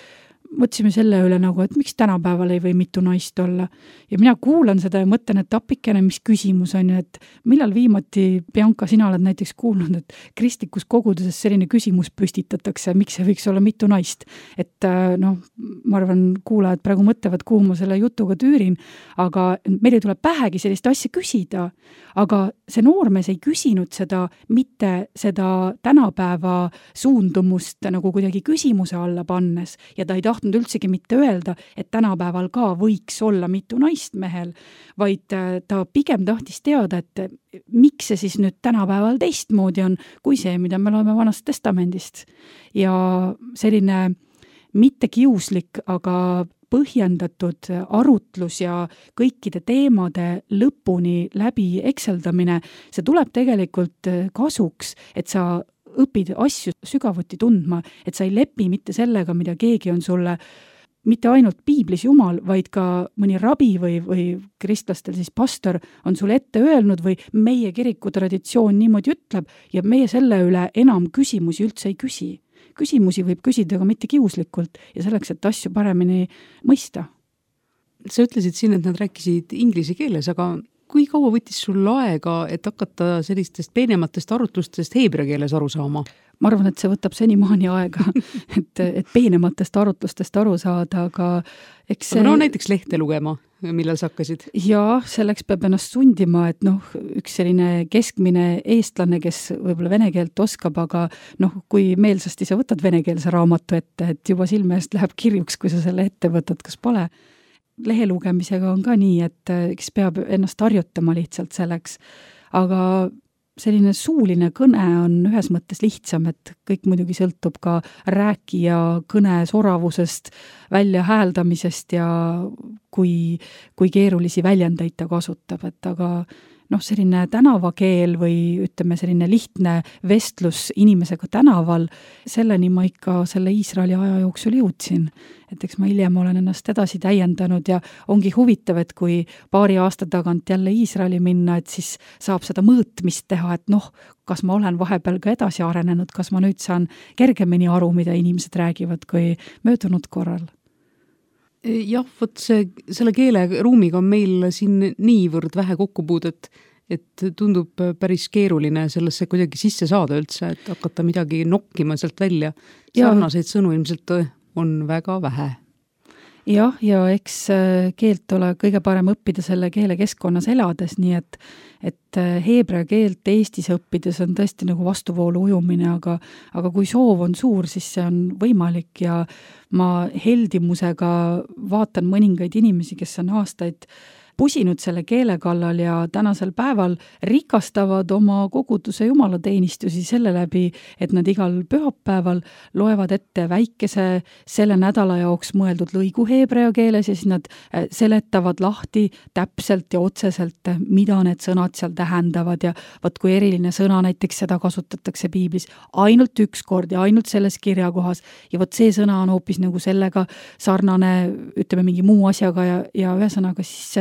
Speaker 3: mõtlesime selle üle nagu, et miks tänapäeval ei või mitu naist olla. Ja mina kuulan seda ja mõtlen, et appikene, mis küsimus on ju, et millal viimati, Bianca, sina oled näiteks kuulnud, et kristlikus koguduses selline küsimus püstitatakse, miks see võiks olla mitu naist. Et ma arvan, kuulajad praegu mõtlevad, kuhu ma selle jutuga tüürin, aga meil ei tule pähegi sellist asja küsida. Aga see noormees ei küsinud seda, mitte seda tänapäeva suundumust nagu kuidagi küsimuse alla pannes ja ta ei tahtnud üldsegi mitte öelda, et tänapäeval ka võiks olla mitu naist mehel, vaid ta pigem tahtis teada, et miks see siis nüüd tänapäeval teistmoodi on, kui see, mida me loeme Vanast Testamendist. Ja selline mitte kiuslik, aga põhjendatud arutlus ja kõikide teemade lõpuni läbi ekseldamine, see tuleb tegelikult kasuks, et sa õpid asju sügavuti tundma, et sa ei lepi mitte sellega, mida keegi on sulle mitte ainult piiblis Jumal, vaid ka mõni rabi või kristlastel siis pastor on sulle ette öelnud või meie kiriku traditsioon niimoodi ütleb ja meie selle üle enam küsimusi üldse ei küsi. Küsimusi võib küsida ka mitte kiuslikult ja selleks, et asju paremini mõista.
Speaker 2: Sa ütlesid siin, et nad rääkisid inglise keeles, aga kui kaua võttis sul aega, et hakata sellistest peenematest arutlustest heebrea keeles aru saama?
Speaker 3: Ma arvan, et see võtab senimaani aega, et peenematest arutlustest aru saada, aga eks see...
Speaker 2: Aga näiteks lehte lugema, millal sa hakkasid?
Speaker 3: Jaa, selleks peab ennast sundima, et üks selline keskmine eestlane, kes võib-olla vene keelt oskab, aga kui meelsasti sa võtad venekeelse raamatu ette, et juba silme eest läheb kirjuks, kui sa selle ette võtad, kas pole. Lehe lugemisega on ka nii, et kes peab ennast harjutama lihtsalt selleks, aga selline suuline kõne on ühes mõttes lihtsam, et kõik muidugi sõltub ka rääkija kõne soravusest, välja hääldamisest ja kui keerulisi väljendeid ta kasutab, et aga selline tänavakeel või ütleme selline lihtne vestlus inimesega tänaval, selleni ma ikka selle Iisraeli aja jooksul jõudsin. Et eks ma hiljem olen ennast edasi täiendanud ja ongi huvitav, et kui paari aasta tagant jälle Iisraeli minna, et siis saab seda mõõtmist teha, et kas ma olen vahepeal ka edasi arenenud, kas ma nüüd saan kergemini aru, mida inimesed räägivad kui möödunud korral.
Speaker 2: Jah, selle keeleruumiga on meil siin niivõrd vähe kokkupuudet, et tundub päris keeruline sellesse kuidagi sisse saada üldse, et hakata midagi nokkima sealt välja. Sarnaseid sõnu ilmselt on väga vähe.
Speaker 3: Jah, ja eks keelt ole kõige parem õppida selle keele keskkonnas elades, nii et heebrea keelt Eestis õppides on tõesti nagu vastuvoolu ujumine, aga kui soov on suur, siis see on võimalik ja ma heldimusega vaatan mõningaid inimesi, kes on aastaid pusinud selle keele kallal ja tänasel päeval rikastavad oma koguduse jumalateenistusi selle läbi, et nad igal pühapäeval loevad ette väikese selle nädala jaoks mõeldud lõigu heebrea keeles ja siis nad seletavad lahti täpselt ja otseselt, mida need sõnad seal tähendavad ja võt kui eriline sõna näiteks seda kasutatakse piiblis ainult üks kord ja ainult selles kirjakohas ja võt see sõna on hoopis nagu sellega sarnane, ütleme mingi muu asjaga ja ühesõnaga siis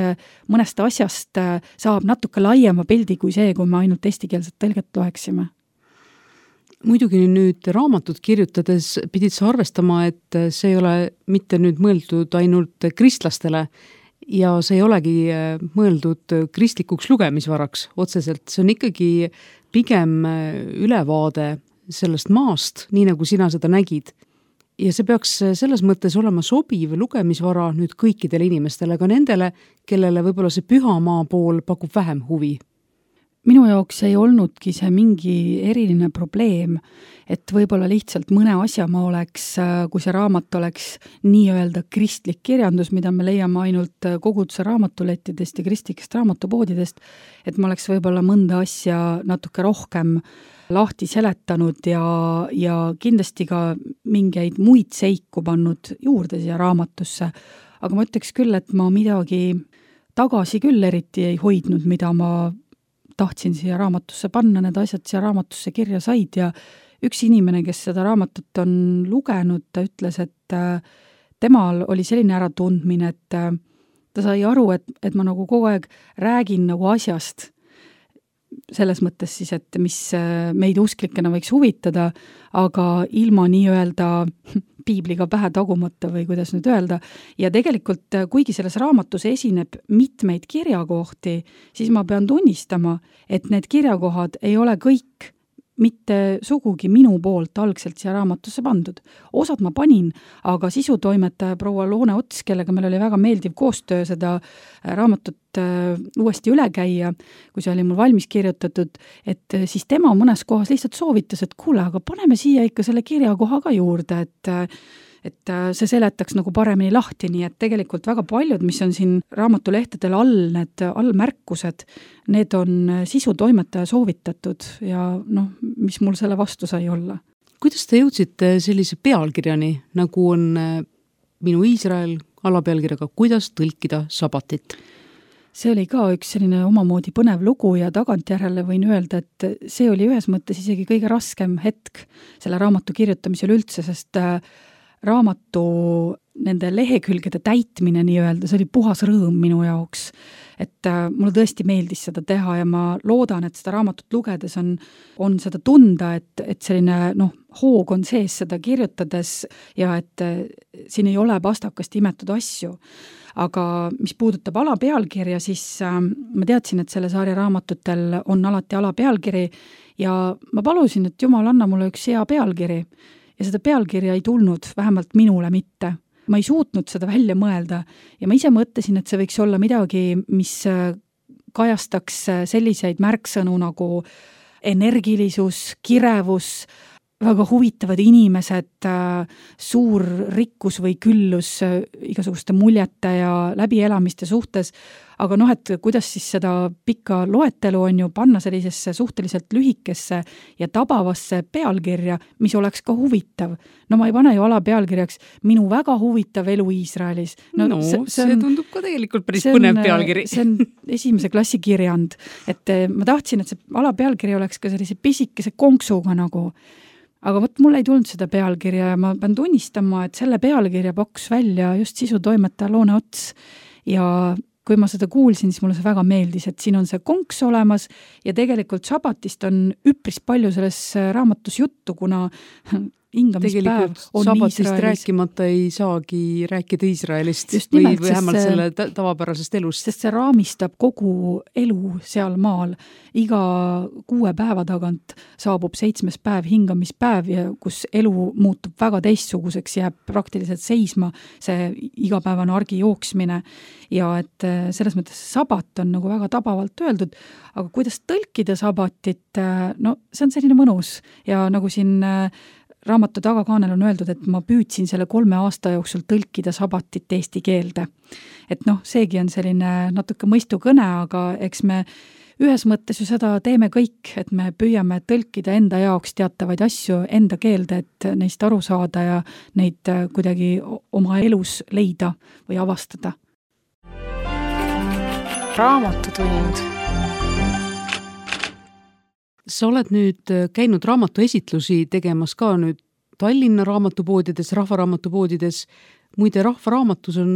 Speaker 3: mõnest asjast saab natuke laiema pildi kui see, kui me ainult eestikeelset tõlget loeksime.
Speaker 2: Muidugi nüüd raamatut kirjutades pidid sa arvestama, et see ei ole mitte nüüd mõeldud ainult kristlastele ja see ei olegi mõeldud kristlikuks lugemisvaraks otseselt. See on ikkagi pigem ülevaade sellest maast, nii nagu sina seda nägid. Ja see peaks selles mõttes olema sobiv lugemisvara nüüd kõikidele inimestele, ka nendele, kellele võib-olla see pühamaa pool pakub vähem huvi.
Speaker 3: minu jaoks ei olnudki see mingi eriline probleem, et võib-olla lihtsalt mõne asja ma oleks, kui see raamat oleks nii-öelda kristlik kirjandus, mida me leiame ainult koguduse raamatulettidest ja kristlikest raamatupoodidest, et ma oleks võib-olla mõnda asja natuke rohkem lahti seletanud ja kindlasti ka mingeid muid seiku pannud juurde siia raamatusse. Aga ma ütleks küll, et ma midagi tagasi küll eriti ei hoidnud, mida ma tahtsin siia raamatusse panna, need asjad siia raamatusse kirja said ja üks inimene, kes seda raamatut on lugenud, ta ütles, et temal oli selline äratundmine, et ta sai aru, et ma nagu kogu aeg räägin nagu asjast, selles mõttes siis, et mis meid usklikena võiks huvitada, aga ilma nii-öelda piibliga pähe tagumata või kuidas nüüd öelda. Ja tegelikult, kuigi selles raamatus esineb mitmeid kirjakohti, siis ma pean tunnistama, et need kirjakohad ei ole kõik mitte sugugi minu poolt algselt siia raamatusse pandud. Osad ma panin, aga sisutoimetaja proua Loone Ots, kellega meil oli väga meeldiv koostöö seda raamatut uuesti üle käia, kui see oli mul valmis kirjutatud, et siis tema mõnes kohas lihtsalt soovitas, et kuule, aga paneme siia ikka selle kirjakoha ka juurde, et see seletaks nagu paremini lahti, nii et tegelikult väga paljud, mis on siin raamatulehtedel all, need allmärkused, need on sisutoimetaja soovitatud ja noh, mis mul selle vastu sai olla.
Speaker 2: Kuidas te jõudsite sellise pealkirjani, nagu on Minu Iisrael alapealkirjaga Kuidas tõlkida sabatit?
Speaker 3: See oli ka üks selline omamoodi põnev lugu ja tagantjärele võin öelda, et see oli ühes mõttes isegi kõige raskem hetk selle raamatu kirjutamisel üldse, sest raamatu nende lehekülgede täitmine nii-öelda, see oli puhas rõõm minu jaoks. Et mulle tõesti meeldis seda teha ja ma loodan, et seda raamatut lugedes on seda tunda, et selline hoog on sees seda kirjutades ja et siin ei ole pastakast imetud asju. Aga mis puudutab alapealkirja, siis ma teadsin, et selle sarja raamatutel on alati alapealkiri ja ma palusin, et Jumal, anna mulle üks hea pealkiri. Ja seda pealkirja ei tulnud, vähemalt minule mitte. Ma ei suutnud seda välja mõelda ja ma ise mõtlesin, et see võiks olla midagi, mis kajastaks selliseid märksõnu nagu energilisus, kirevus, väga huvitavad inimesed, suur rikkus või küllus igasuguste muljete ja läbielamiste suhtes, aga et kuidas siis seda pikka loetelu on ju panna sellisesse suhteliselt lühikesse ja tabavasse pealkirja, mis oleks ka huvitav. Ma ei pane ju alapealkirjaks Minu väga huvitav elu Iisraelis.
Speaker 2: See tundub ka tegelikult päris põnev pealkiri.
Speaker 3: See on esimese klassi kirjand, et ma tahtsin, et see alapealkiri oleks ka sellise pisikese konksuga nagu. Aga mulle ei tulnud seda pealkirja ja ma pean tunnistama, et selle pealkirja pakkus välja just sisutoimetaja Loone Ots ja kui ma seda kuulsin, siis mulle see väga meeldis, et siin on see konks olemas ja tegelikult sabatist on üpris palju selles raamatus juttu, kuna hingamispäev on
Speaker 2: sabatist
Speaker 3: Iisraelis.
Speaker 2: Rääkimata ei saagi rääkida Iisraelist või vähemalt selle tavapärasest elust.
Speaker 3: Sest see raamistab kogu elu seal maal. Iga 6 päeva tagant saabub 7. päev hingamispäev ja kus elu muutub väga teistsuguseks, jääb praktiliselt seisma see igapäevane argi jooksmine ja et selles mõttes sabat on nagu väga tabavalt öeldud, aga kuidas tõlkida sabatit, see on selline mõnus ja nagu siin raamatu tagakaanel on öeldud, et ma püüdsin selle 3 aasta jooksul tõlkida sabatit eesti keelde. Et seegi on selline natuke mõistukõne, aga eks me ühes mõttes ju seda teeme kõik, et me püüame tõlkida enda jaoks teatavaid asju enda keelde, et neist aru saada ja neid kuidagi oma elus leida või avastada.
Speaker 1: Raamatutund.
Speaker 2: Sa oled nüüd käinud raamatuesitlusi tegemas ka nüüd Tallinna raamatupoodides, rahvaraamatupoodides. Muide, rahvaraamatus on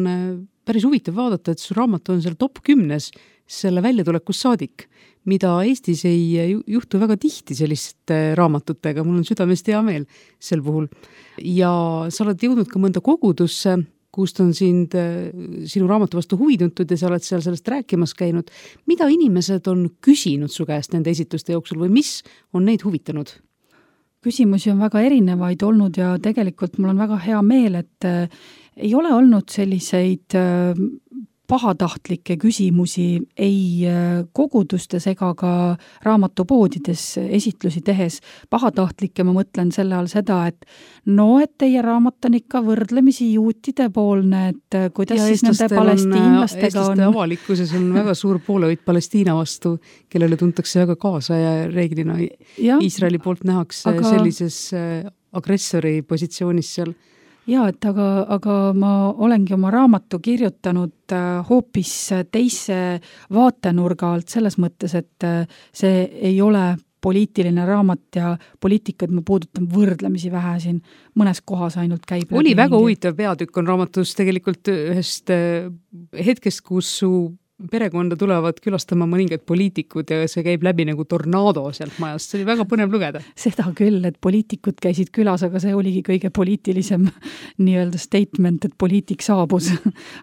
Speaker 2: päris huvitav vaadata, et su raamat on seal top 10 selle väljatulekust saadik, mida Eestis ei juhtu väga tihti selliste raamatutega. Mul on südamest hea meel sel puhul. Ja sa oled jõudnud ka mõnda kogudusse, kust on sinu raamatu vastu huvi tuntud ja sa oled seal sellest rääkimas käinud. Mida inimesed on küsinud su käest nende esitluste jooksul või mis on neid huvitanud?
Speaker 3: Küsimusi on väga erinevaid olnud ja tegelikult mul on väga hea meel, et ei ole olnud selliseid pahatahtlikke küsimusi ei kogudustes ega ka raamatupoodides esitlusi tehes. Pahatahtlikke ma mõtlen selle all seda, et et teie raamat on ikka võrdlemisi juutide poolne, et kuidas siis nende palestiinlastega
Speaker 2: eestlaste avalikkuses on väga suur poolevõit Palestiina vastu, kellele tuntakse väga kaasa ja reeglina Iisraeli poolt nähakse sellises agressori positsioonis seal.
Speaker 3: Jaa, et aga ma olengi oma raamatu kirjutanud hoopis teise vaatenurga alt selles mõttes, et see ei ole poliitiline raamat ja poliitikat ma puudutan võrdlemisi vähe siin, mõnes kohas ainult käib.
Speaker 2: Oli väga huvitav peatükk on raamatus tegelikult ühest hetkest, kus su perekonda tulevad külastama mõningad poliitikud ja see käib läbi nagu tornaado sealt majast. See oli väga põnev lugeda.
Speaker 3: Seda küll, et poliitikud käisid külas, aga see oligi kõige poliitilisem nii-öelda statement, et poliitik saabus.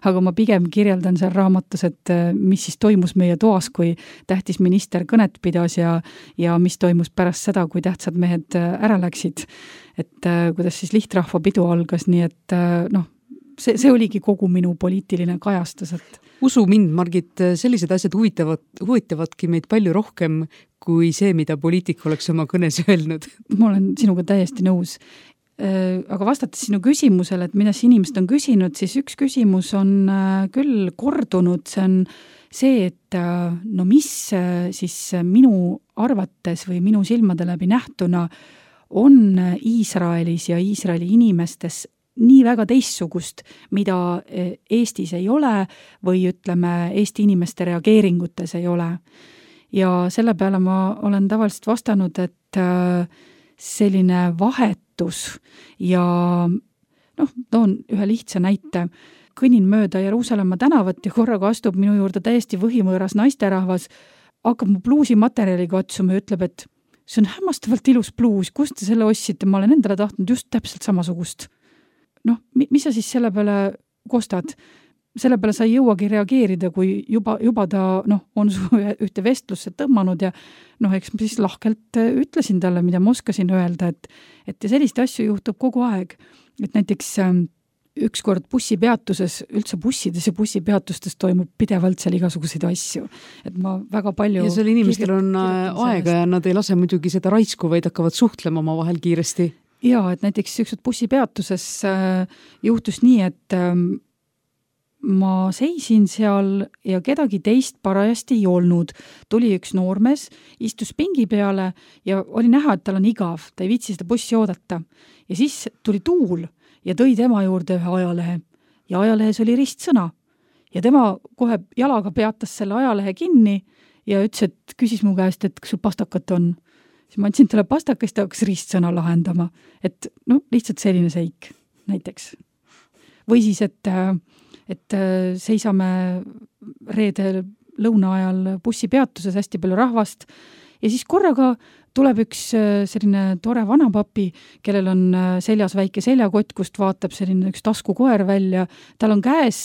Speaker 3: Aga ma pigem kirjeldan seal raamatus, et mis siis toimus meie toas, kui tähtis minister kõnet pidas ja mis toimus pärast seda, kui tähtsad mehed ära läksid. Et kuidas siis lihtrahva pidu algas, nii et see oligi kogu minu poliitiline kajastus, et
Speaker 2: usu mind, Margit, sellised asjad huvitavadki meid palju rohkem kui see, mida poliitik oleks oma kõnes öelnud.
Speaker 3: Ma olen sinuga täiesti nõus. Aga vastates sinu küsimusele, et mida inimesed on küsinud, siis üks küsimus on küll kordunud, see on see, et mis siis minu arvates või minu silmade läbi nähtuna on Iisraelis ja Iisraeli inimestes nii väga teistsugust, mida Eestis ei ole või ütleme, Eesti inimeste reageeringutes ei ole. Ja selle peale ma olen tavaliselt vastanud, et selline vahetus ja toon ühe lihtsa näite. Kõnnin mööda Jeruusalemma tänavat ja korraga astub minu juurde täiesti võhimõõras naisterahvas, hakkab mu pluusimaterjaliga otsuma ja ütleb, et see on hämmastavalt ilus pluus, kust te selle ostsite, ma olen endale tahtnud just täpselt samasugust. Mis sa siis selle peale kostad? Selle peale sa ei jõuagi reageerida, kui juba ta on su ühte vestlusse tõmmanud ja eks ma siis lahkelt ütlesin talle, mida ma oskasin öelda, et sellist asju juhtub kogu aeg. Et näiteks ükskord bussipeatuses, üldse bussides ja bussipeatustes toimub pidevalt seal igasuguseid asju. Et ma väga palju...
Speaker 2: Ja seal inimestel on aega ja nad ei lase muidugi seda raisku, vaid hakkavad suhtlema oma vahel kiiresti.
Speaker 3: Jaa, et näiteks ükskord bussipeatuses juhtus nii, et ma seisin seal ja kedagi teist parajasti ei olnud. Tuli üks noormees, istus pingi peale ja oli näha, et tal on igav, ta ei viitsi seda bussi oodata. Ja siis tuli tuul ja tõi tema juurde ühe ajalehe. Ja ajalehes oli ristsõna. Ja tema kohe jalaga peatas selle ajalehe kinni ja ütles, et küsis mu käest, et kas sul pastakat on. Siis ma andsin talle pastakast ja hakkas ristsõna lahendama. Et lihtsalt selline seik näiteks. Või siis, et seisame reedel lõuna ajal bussipeatuses hästi palju rahvast ja siis korraga tuleb üks selline tore vanapapi, kellel on seljas väike seljakott, kust vaatab selline üks taskukoer välja. Tal on käes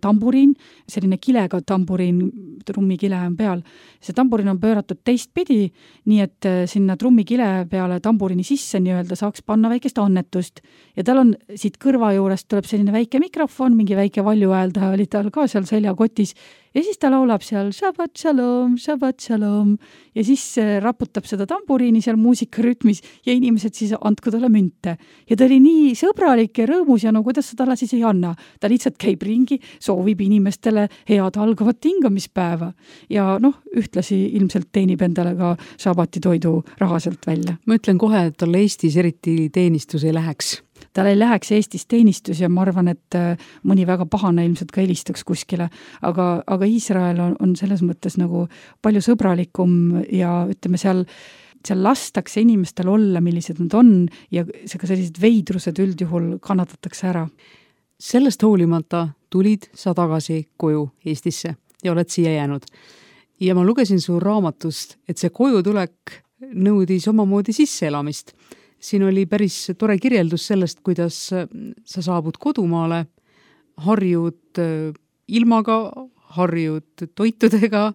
Speaker 3: tamburiin, selline kilega tamburiin, trummikile on peal. See tamburiin on pööratud teistpidi, nii et sinna trummikile peale tamburiini sisse nii-öelda saaks panna väikest annetust. Ja tal on siit kõrva juurest tuleb selline väike mikrofon, mingi väike valjuääldaja oli tal ka seal seljakotis. Ja siis ta laulab seal Shabbat shalom ja siis raputab seda tamburiini seal muusikarütmis ja inimesed siis andku talle münte. Ja ta oli nii sõbralik ja rõõmus ja kuidas sa talle siis ei anna. Ta lihtsalt käib ringi, soovib inimestele head algavat hingamispäeva ja ühtlasi ilmselt teenib endale ka Shabbati toidu rahaselt välja.
Speaker 2: Ma ütlen kohe, et talle Eestis eriti teenistus ei läheks.
Speaker 3: Tal ei läheks Eestis teenistus ja ma arvan, et mõni väga pahane ilmselt ka helistaks kuskile, aga Iisrael on selles mõttes nagu palju sõbralikum ja ütleme seal lastakse inimestel olla, millised nad on ja sellised veidrused üldjuhul kannatatakse ära.
Speaker 2: Sellest hoolimata tulid sa tagasi koju Eestisse ja oled siia jäänud. Ja ma lugesin su raamatust, et see koju tulek nõudis omamoodi sisseelamist. Siin oli päris tore kirjeldus sellest, kuidas sa saabud kodumaale, harjud ilmaga, harjud toitudega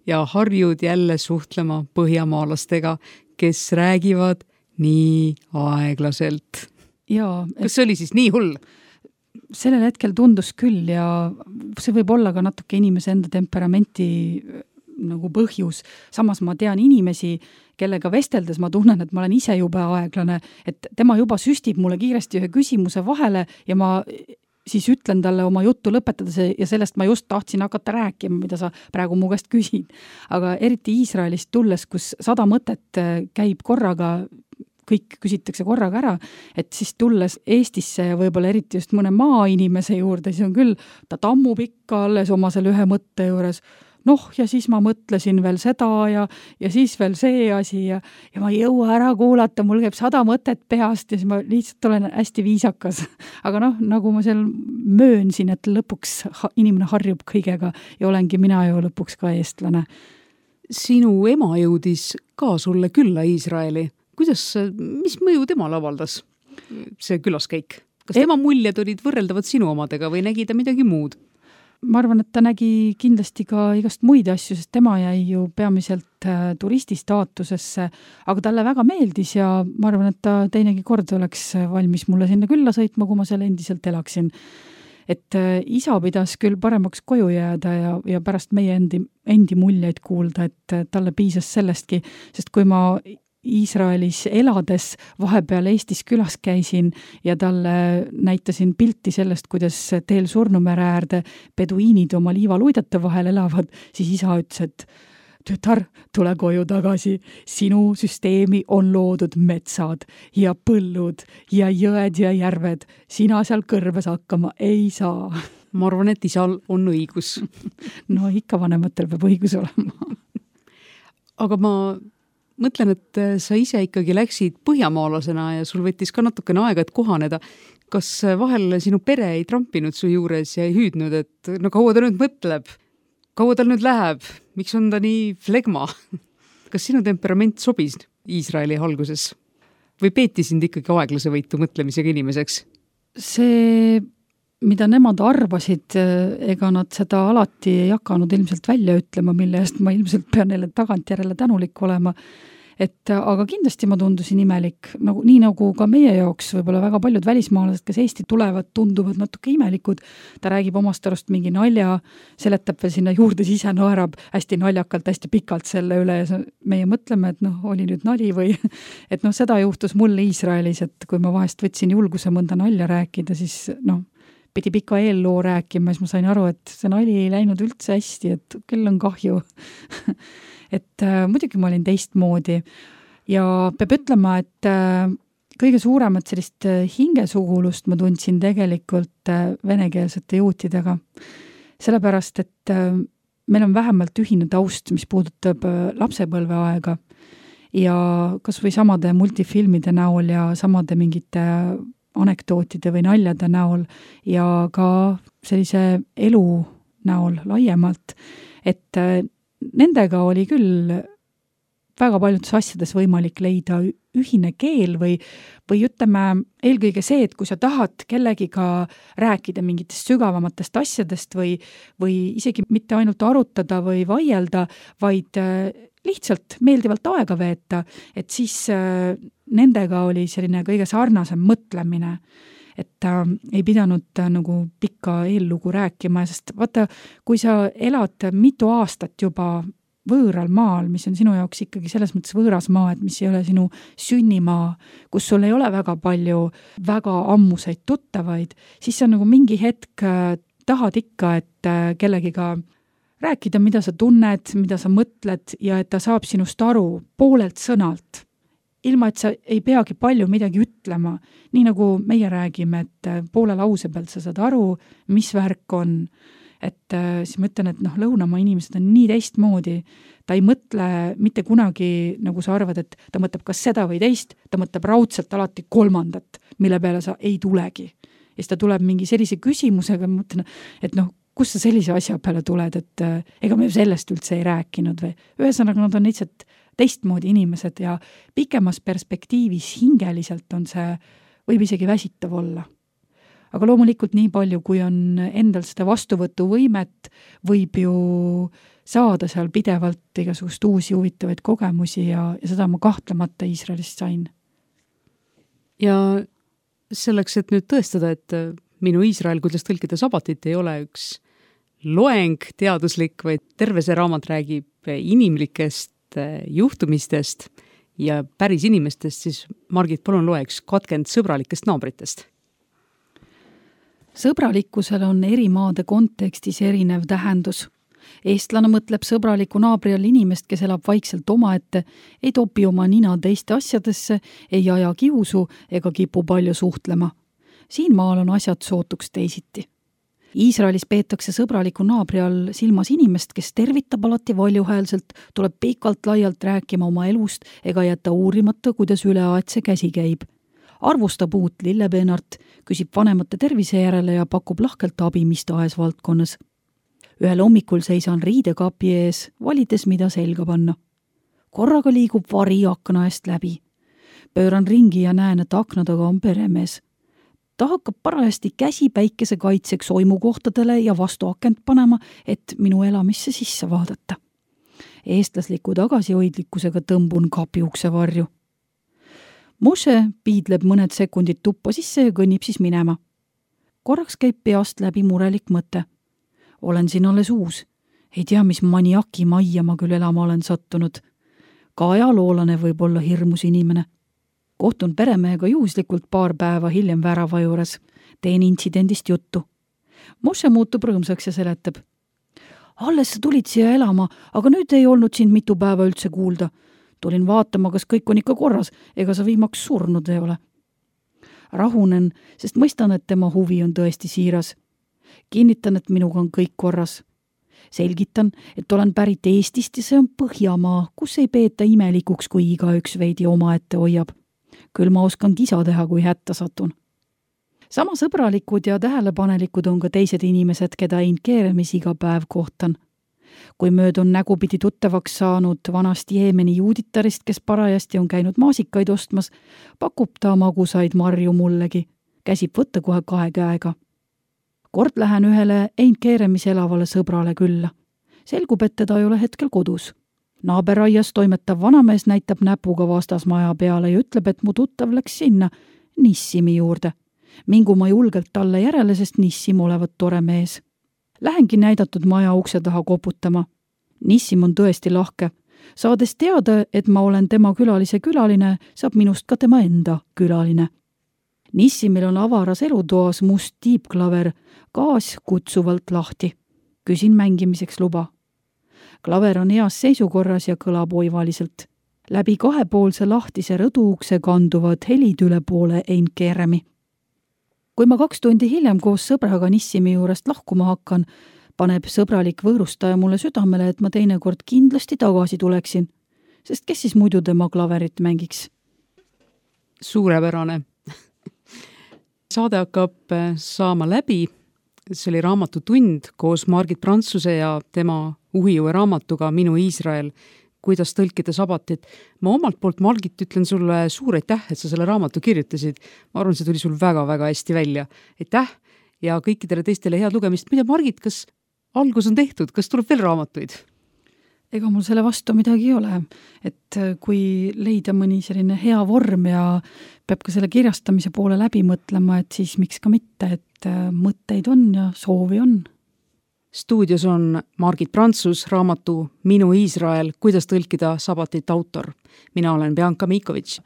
Speaker 2: ja harjud jälle suhtlema põhjamaalastega, kes räägivad nii aeglaselt.
Speaker 3: Jaa.
Speaker 2: Kas see oli siis nii hull?
Speaker 3: sellel hetkel tundus küll ja see võib olla ka natuke inimese enda temperamenti nagu põhjus. Samas ma tean inimesi, kellega vesteldes ma tunnen, et ma olen ise jube aeglane, et tema juba süstib mulle kiiresti ühe küsimuse vahele ja ma siis ütlen talle oma juttu lõpetades ja sellest ma just tahtsin hakata rääkima, mida sa praegu mu käest küsid. Aga eriti Iisraelist tulles, kus 100 mõtet käib korraga, kõik küsitakse korraga ära, et siis tulles Eestisse ja võib-olla eriti just mõne maainimese juurde, siis on küll, ta tammub ikka alles oma selle ühe mõtte juures. Ja siis ma mõtlesin veel seda ja siis veel see asi ja ma ei jõua ära kuulata, mul käib 100 mõtet peast ja siis ma lihtsalt olen hästi viisakas. Aga nagu ma seal möönsin, et lõpuks inimene harjub kõigega ja olengi mina ju lõpuks ka eestlane.
Speaker 2: Sinu ema jõudis ka sulle külla Iisraeli. Mis mõju temal avaldas see külaskäik? Kas tema muljed olid võrreldavad sinu omadega või nägi ta midagi muud?
Speaker 3: Ma arvan, et ta nägi kindlasti ka igast muid asju, sest tema jäi ju peamiselt turisti staatusesse, aga talle väga meeldis ja ma arvan, et ta teinegi kord oleks valmis mulle sinna külla sõitma, kui ma seal endiselt elaksin. Et isa pidas küll paremaks koju jääda ja pärast meie endi muljeid kuulda, et talle piisas sellestki, sest kui ma Iisraelis elades vahepeal Eestis külas käisin ja talle näitasin pilti sellest, kuidas teel Surnumere äärde peduiinid oma liivaluidete vahel elavad, siis isa ütles, et tütar, tule koju tagasi, sinu süsteemi on loodud metsad ja põllud ja jõed ja järved, sina seal kõrves hakkama ei saa.
Speaker 2: Ma arvan, et isal on õigus.
Speaker 3: No ikka vanematel peab õigus olema.
Speaker 2: Aga ma mõtlen, et sa ise ikkagi läksid põhjamaalasena ja sul võttis ka natukene aega, et kohaneda. Kas vahel sinu pere ei trampinud su juures ja ei hüüdnud, et kaua ta nüüd mõtleb? Kaua tal nüüd läheb? Miks on ta nii flegma? Kas sinu temperament sobis Iisraeli alguses? Või peeti sind ikkagi aeglase võitu mõtlemisega inimeseks?
Speaker 3: See, mida nemad arvasid, ega nad seda alati ei hakanud ilmselt välja ütlema, mille eest ma ilmselt pean neile tagantjärele tänulik olema. Aga kindlasti ma tundusin imelik, nii nagu ka meie jaoks võib-olla väga paljud välismaalased, kes Eesti tulevad, tunduvad natuke imelikud. Ta räägib omast arust mingi nalja, seletab veel sinna juurde, siis ise naerab hästi naljakalt, hästi pikalt selle üle ja meie mõtleme, et oli nüüd nali või et seda juhtus mulle Iisraelis, et kui ma vahest võtsin julguse mõnda nalja rääkida, siis pidi pika eelloo rääkima, siis ma sain aru, et see nali ei läinud üldse hästi, et küll on kahju. Et muidugi ma olin teistmoodi ja peab ütlema, et kõige suuremat sellist hingesugulust ma tundsin tegelikult venekeelsete juutidega. Sellepärast, et meil on vähemalt ühine taust, mis puudutab lapsepõlveaega ja kas või samade multifilmide näol ja samade mingite anekdootide või naljade näol ja ka sellise elu näol laiemalt, et nendega oli küll väga paljudes asjades võimalik leida ühine keel või ütleme eelkõige see, et kui sa tahad kellegiga rääkida mingitest sügavamatest asjadest või isegi mitte ainult arutada või vaielda, vaid lihtsalt meeldivalt aega veeta, et siis nendega oli selline kõige sarnasem mõtlemine, et ei pidanud nagu pikka eellugu rääkima, sest vaata, kui sa elad mitu aastat juba võõral maal, mis on sinu jaoks ikkagi selles mõttes võõras maa, et mis ei ole sinu sünnimaa, kus sul ei ole väga palju väga ammuseid tuttavaid, siis sa nagu mingi hetk tahad ikka, et kellegiga rääkida, mida sa tunned, mida sa mõtled ja et ta saab sinust aru poolelt sõnalt. Ilma, et sa ei peagi palju midagi ütlema, nii nagu meie räägime, et poole lause pealt sa saad aru, mis värk on. Et siis ma ütlen, et lõunamaa inimesed on nii teistmoodi, ta ei mõtle mitte kunagi, nagu sa arvad, et ta mõtleb kas seda või teist, ta mõtleb raudselt alati kolmandat, mille peale sa ei tulegi. Ja siis ta tuleb mingi sellise küsimusega, ma mõtlen, et kus sa sellise asja peale tuled, et ega me sellest üldse ei rääkinud või. Ühesõnaga, nad on lihtsalt teistmoodi inimesed ja pikemas perspektiivis hingeliselt on see, võib isegi väsitav olla. Aga loomulikult nii palju, kui on endal seda vastuvõtuvõimet, võib ju saada seal pidevalt igasugust uusi huvitavaid kogemusi ja seda ma kahtlemata Iisraelist sain.
Speaker 2: Ja selleks, et nüüd tõestada, et Minu Iisrael, kuidas tõlkida sabatit, ei ole üks loeng teaduslik, vaid terve see raamat räägib inimlikest juhtumistest ja päris inimestest, siis Margit, palun loe üks katkend sõbralikest naabritest.
Speaker 3: Sõbralikkusel on eri maade kontekstis erinev tähendus. Eestlane mõtleb sõbraliku naabri all inimest, kes elab vaikselt omaette, ei topi oma nina teiste asjadesse, ei aja kiusu ega kipu palju suhtlema. Siin maal on asjad sootuks teisiti. Iisraelis peetakse sõbraliku naabri all silmas inimest, kes tervitab alati valjuhäälselt, tuleb pikalt laialt rääkima oma elust ega jätta uurimata, kuidas üleaetse käsi käib. Arvustab uut lillepeenart, küsib vanemate tervise järele ja pakub lahkelt abi mis tahes valdkonnas. Ühel hommikul seisan riidekapi ees, valides mida selga panna. Korraga liigub vari akna eest läbi. Pööran ringi ja näen, et akna taga on peremees. Ta hakkab parajasti käsi päikese kaitseks oimukohtadele ja vastu akent panema, et minu elamisse sisse vaadata. Eestlasliku tagasihoidlikkusega tõmbun kapi ukse varju. Moshe piidleb mõned sekundid tuppa sisse ja kõnnib siis minema. Korraks käib peast läbi murelik mõte. Olen siin alles uus. Ei tea, mis maniaki majja ma küll elama olen sattunud. Ka ajaloolane võib olla hirmus inimene. Kohtun peremehega juhuslikult paar päeva hiljem värava juures. Teen intsidendist juttu. Moshe muutub rõõmsaks ja seletab. Alles sa tulid siia elama, aga nüüd ei olnud sind mitu päeva üldse kuulda. Tulin vaatama, kas kõik on ikka korras, ega sa viimaks surnud ei ole. Rahunen, sest mõistan, et tema huvi on tõesti siiras. Kinnitan, et minuga on kõik korras. Selgitan, et olen pärit Eestist ja see on Põhjamaa, kus ei peeta imelikuks, kui igaüks veidi omaette hoiab. Küll ma oskan kisa teha, kui hätta satun. Sama sõbralikud ja tähelepanelikud on ka teised inimesed, keda Keeremis iga päev kohtan. Kui möödun nägupidi tuttavaks saanud vanast Jeemeni juuditarist, kes parajasti on käinud maasikaid ostmas, pakub ta magusaid marju mullegi. Käsib võtta kohe 2 käega. Kord lähen ühele Keeremis elavale sõbrale külla. Selgub, et teda ei ole hetkel kodus. Naaberaias toimetav vanamees näitab näpuga vastasmaja peale ja ütleb, et mu tuttav läks sinna Nissimi juurde. Mingu ma julgelt talle järele, sest Nissim olevat tore mees. Lähengi näidatud maja ukse taha koputama. Nissim on tõesti lahke. Saades teada, et ma olen tema külalise külaline, saab minust ka tema enda külaline. Nissimil on avaras elutoas must tiibklaver, gaas kutsuvalt lahti. Küsin mängimiseks luba. Klaver on heas seisukorras ja kõlab oivaliselt. Läbi 2-poolse lahtise rõduukse kanduvad helid üle poole Keeremi. Kui ma 2 tundi hiljem koos sõbraga Nissimi juurest lahkuma hakkan, paneb sõbralik võõrustaja mulle südamele, et ma teinekord kindlasti tagasi tuleksin, sest kes siis muidu tema klaverit mängiks?
Speaker 2: Suurepärane. Saade hakkab saama läbi. See oli raamatutund koos Margit Prantsuse ja tema uhiuue raamatuga Minu Iisrael, kuidas tõlkida sabatit. Ma omalt poolt, Margit, ütlen sulle suur aitäh, et sa selle raamatu kirjutasid. Ma arvan, see tuli sul väga-väga hästi välja. Aitäh ja kõikidele teistele head lugemist. Mida, Margit, kas algus on tehtud? Kas tuleb veel raamatuid?
Speaker 3: Ega mul selle vastu midagi ei ole. Et kui leida mõni selline hea vorm ja peab ka selle kirjastamise poole läbi mõtlema, et siis miks ka mitte, et mõtteid on ja soovi on.
Speaker 2: Stuudios on Margit Prantsus, raamatu Minu Iisrael, kuidas tõlkida sabatit autor. Mina olen Bianca Mikovitš.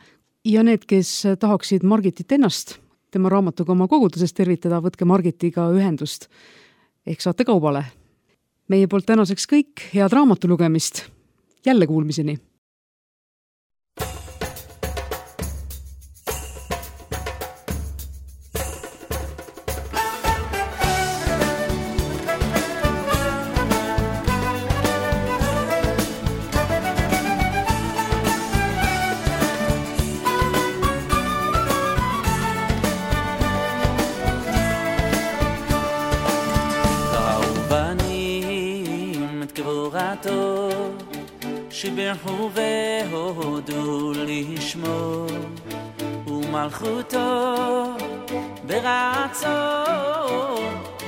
Speaker 2: Ja need, kes tahaksid Margitit ennast, tema raamatuga oma koguduses tervitada, võtke Margitiga ühendust. Ehk saate kaubale. Meie poolt tänaseks kõik, head raamatulugemist. Jälle kuulmiseni.
Speaker 4: שבירכו והודו לשמו ומלכותו ברצון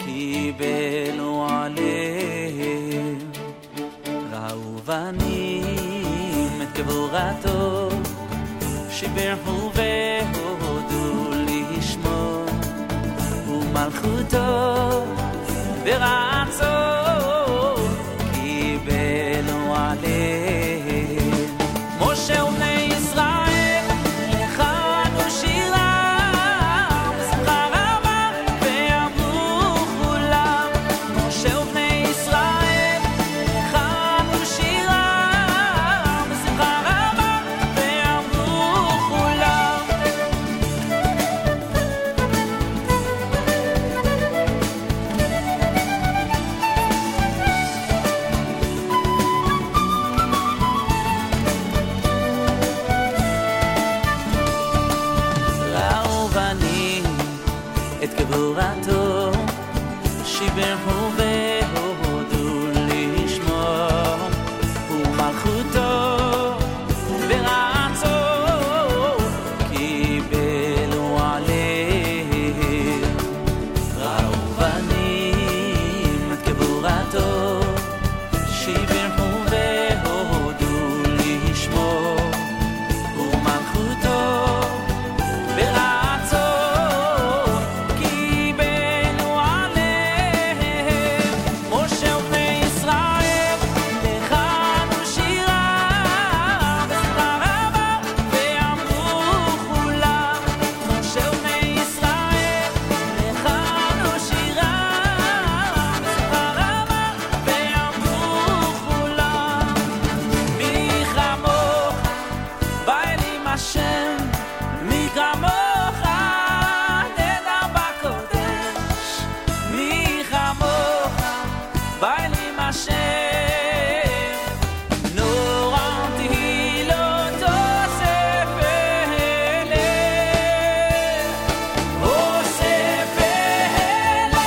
Speaker 4: קיבלו עליהם ראו בנים את גבורתו שבירכו והודו לשמו ומלכותו ומלכותו ברצון קיבלו עליהם. משה ובני ישראל לחנו שירה בשמחה רבה ואמרו כולם. משה ובני ישראל לחנו שירה בשמחה רבה ואמרו כולם. ראו בנים את גבורתו, שיבחו והודו לשמו ומלכותו ברצון קיבלו עליהם. ראו בנים את גבורתו, שיבחו והודו לשמו ומלכותו ברצון קיבלו עליהם. משה ובני ישראל לחנו שירה בשמחה רבה ואמרו כולם. משה ובני ישראל לחנו שירה בשמחה רבה ואמרו כולם. מי כמוך באלים השם, מי כמוך נדע בקודש. מי כמוך באלים השם, נורא תהילות אוסף אלה, אוסף אלה.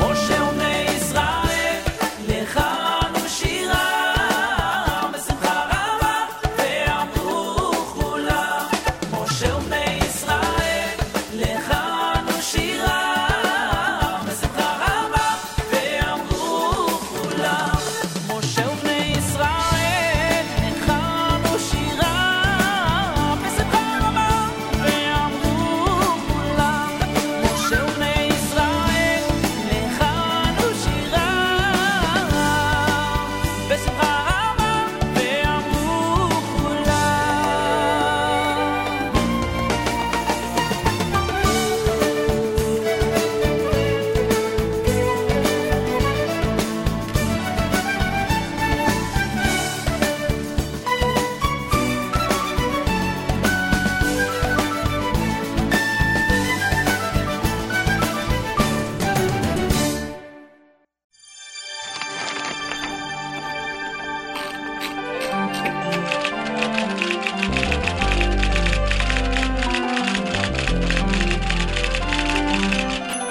Speaker 4: משה ובני ישראל לחנו שירה בשמחה רבה ואמרו כולם. משה ובני ישראל לחנו שירה בשמחה רבה ואמרו כולם. משה ובני ישראל לחנו שירה בשמחה רבה ואמרו כולם. משה ובני ישראל לחנו שירה בשמחה רבה ואמרו כולם.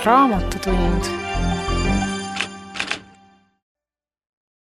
Speaker 1: Raamatutund.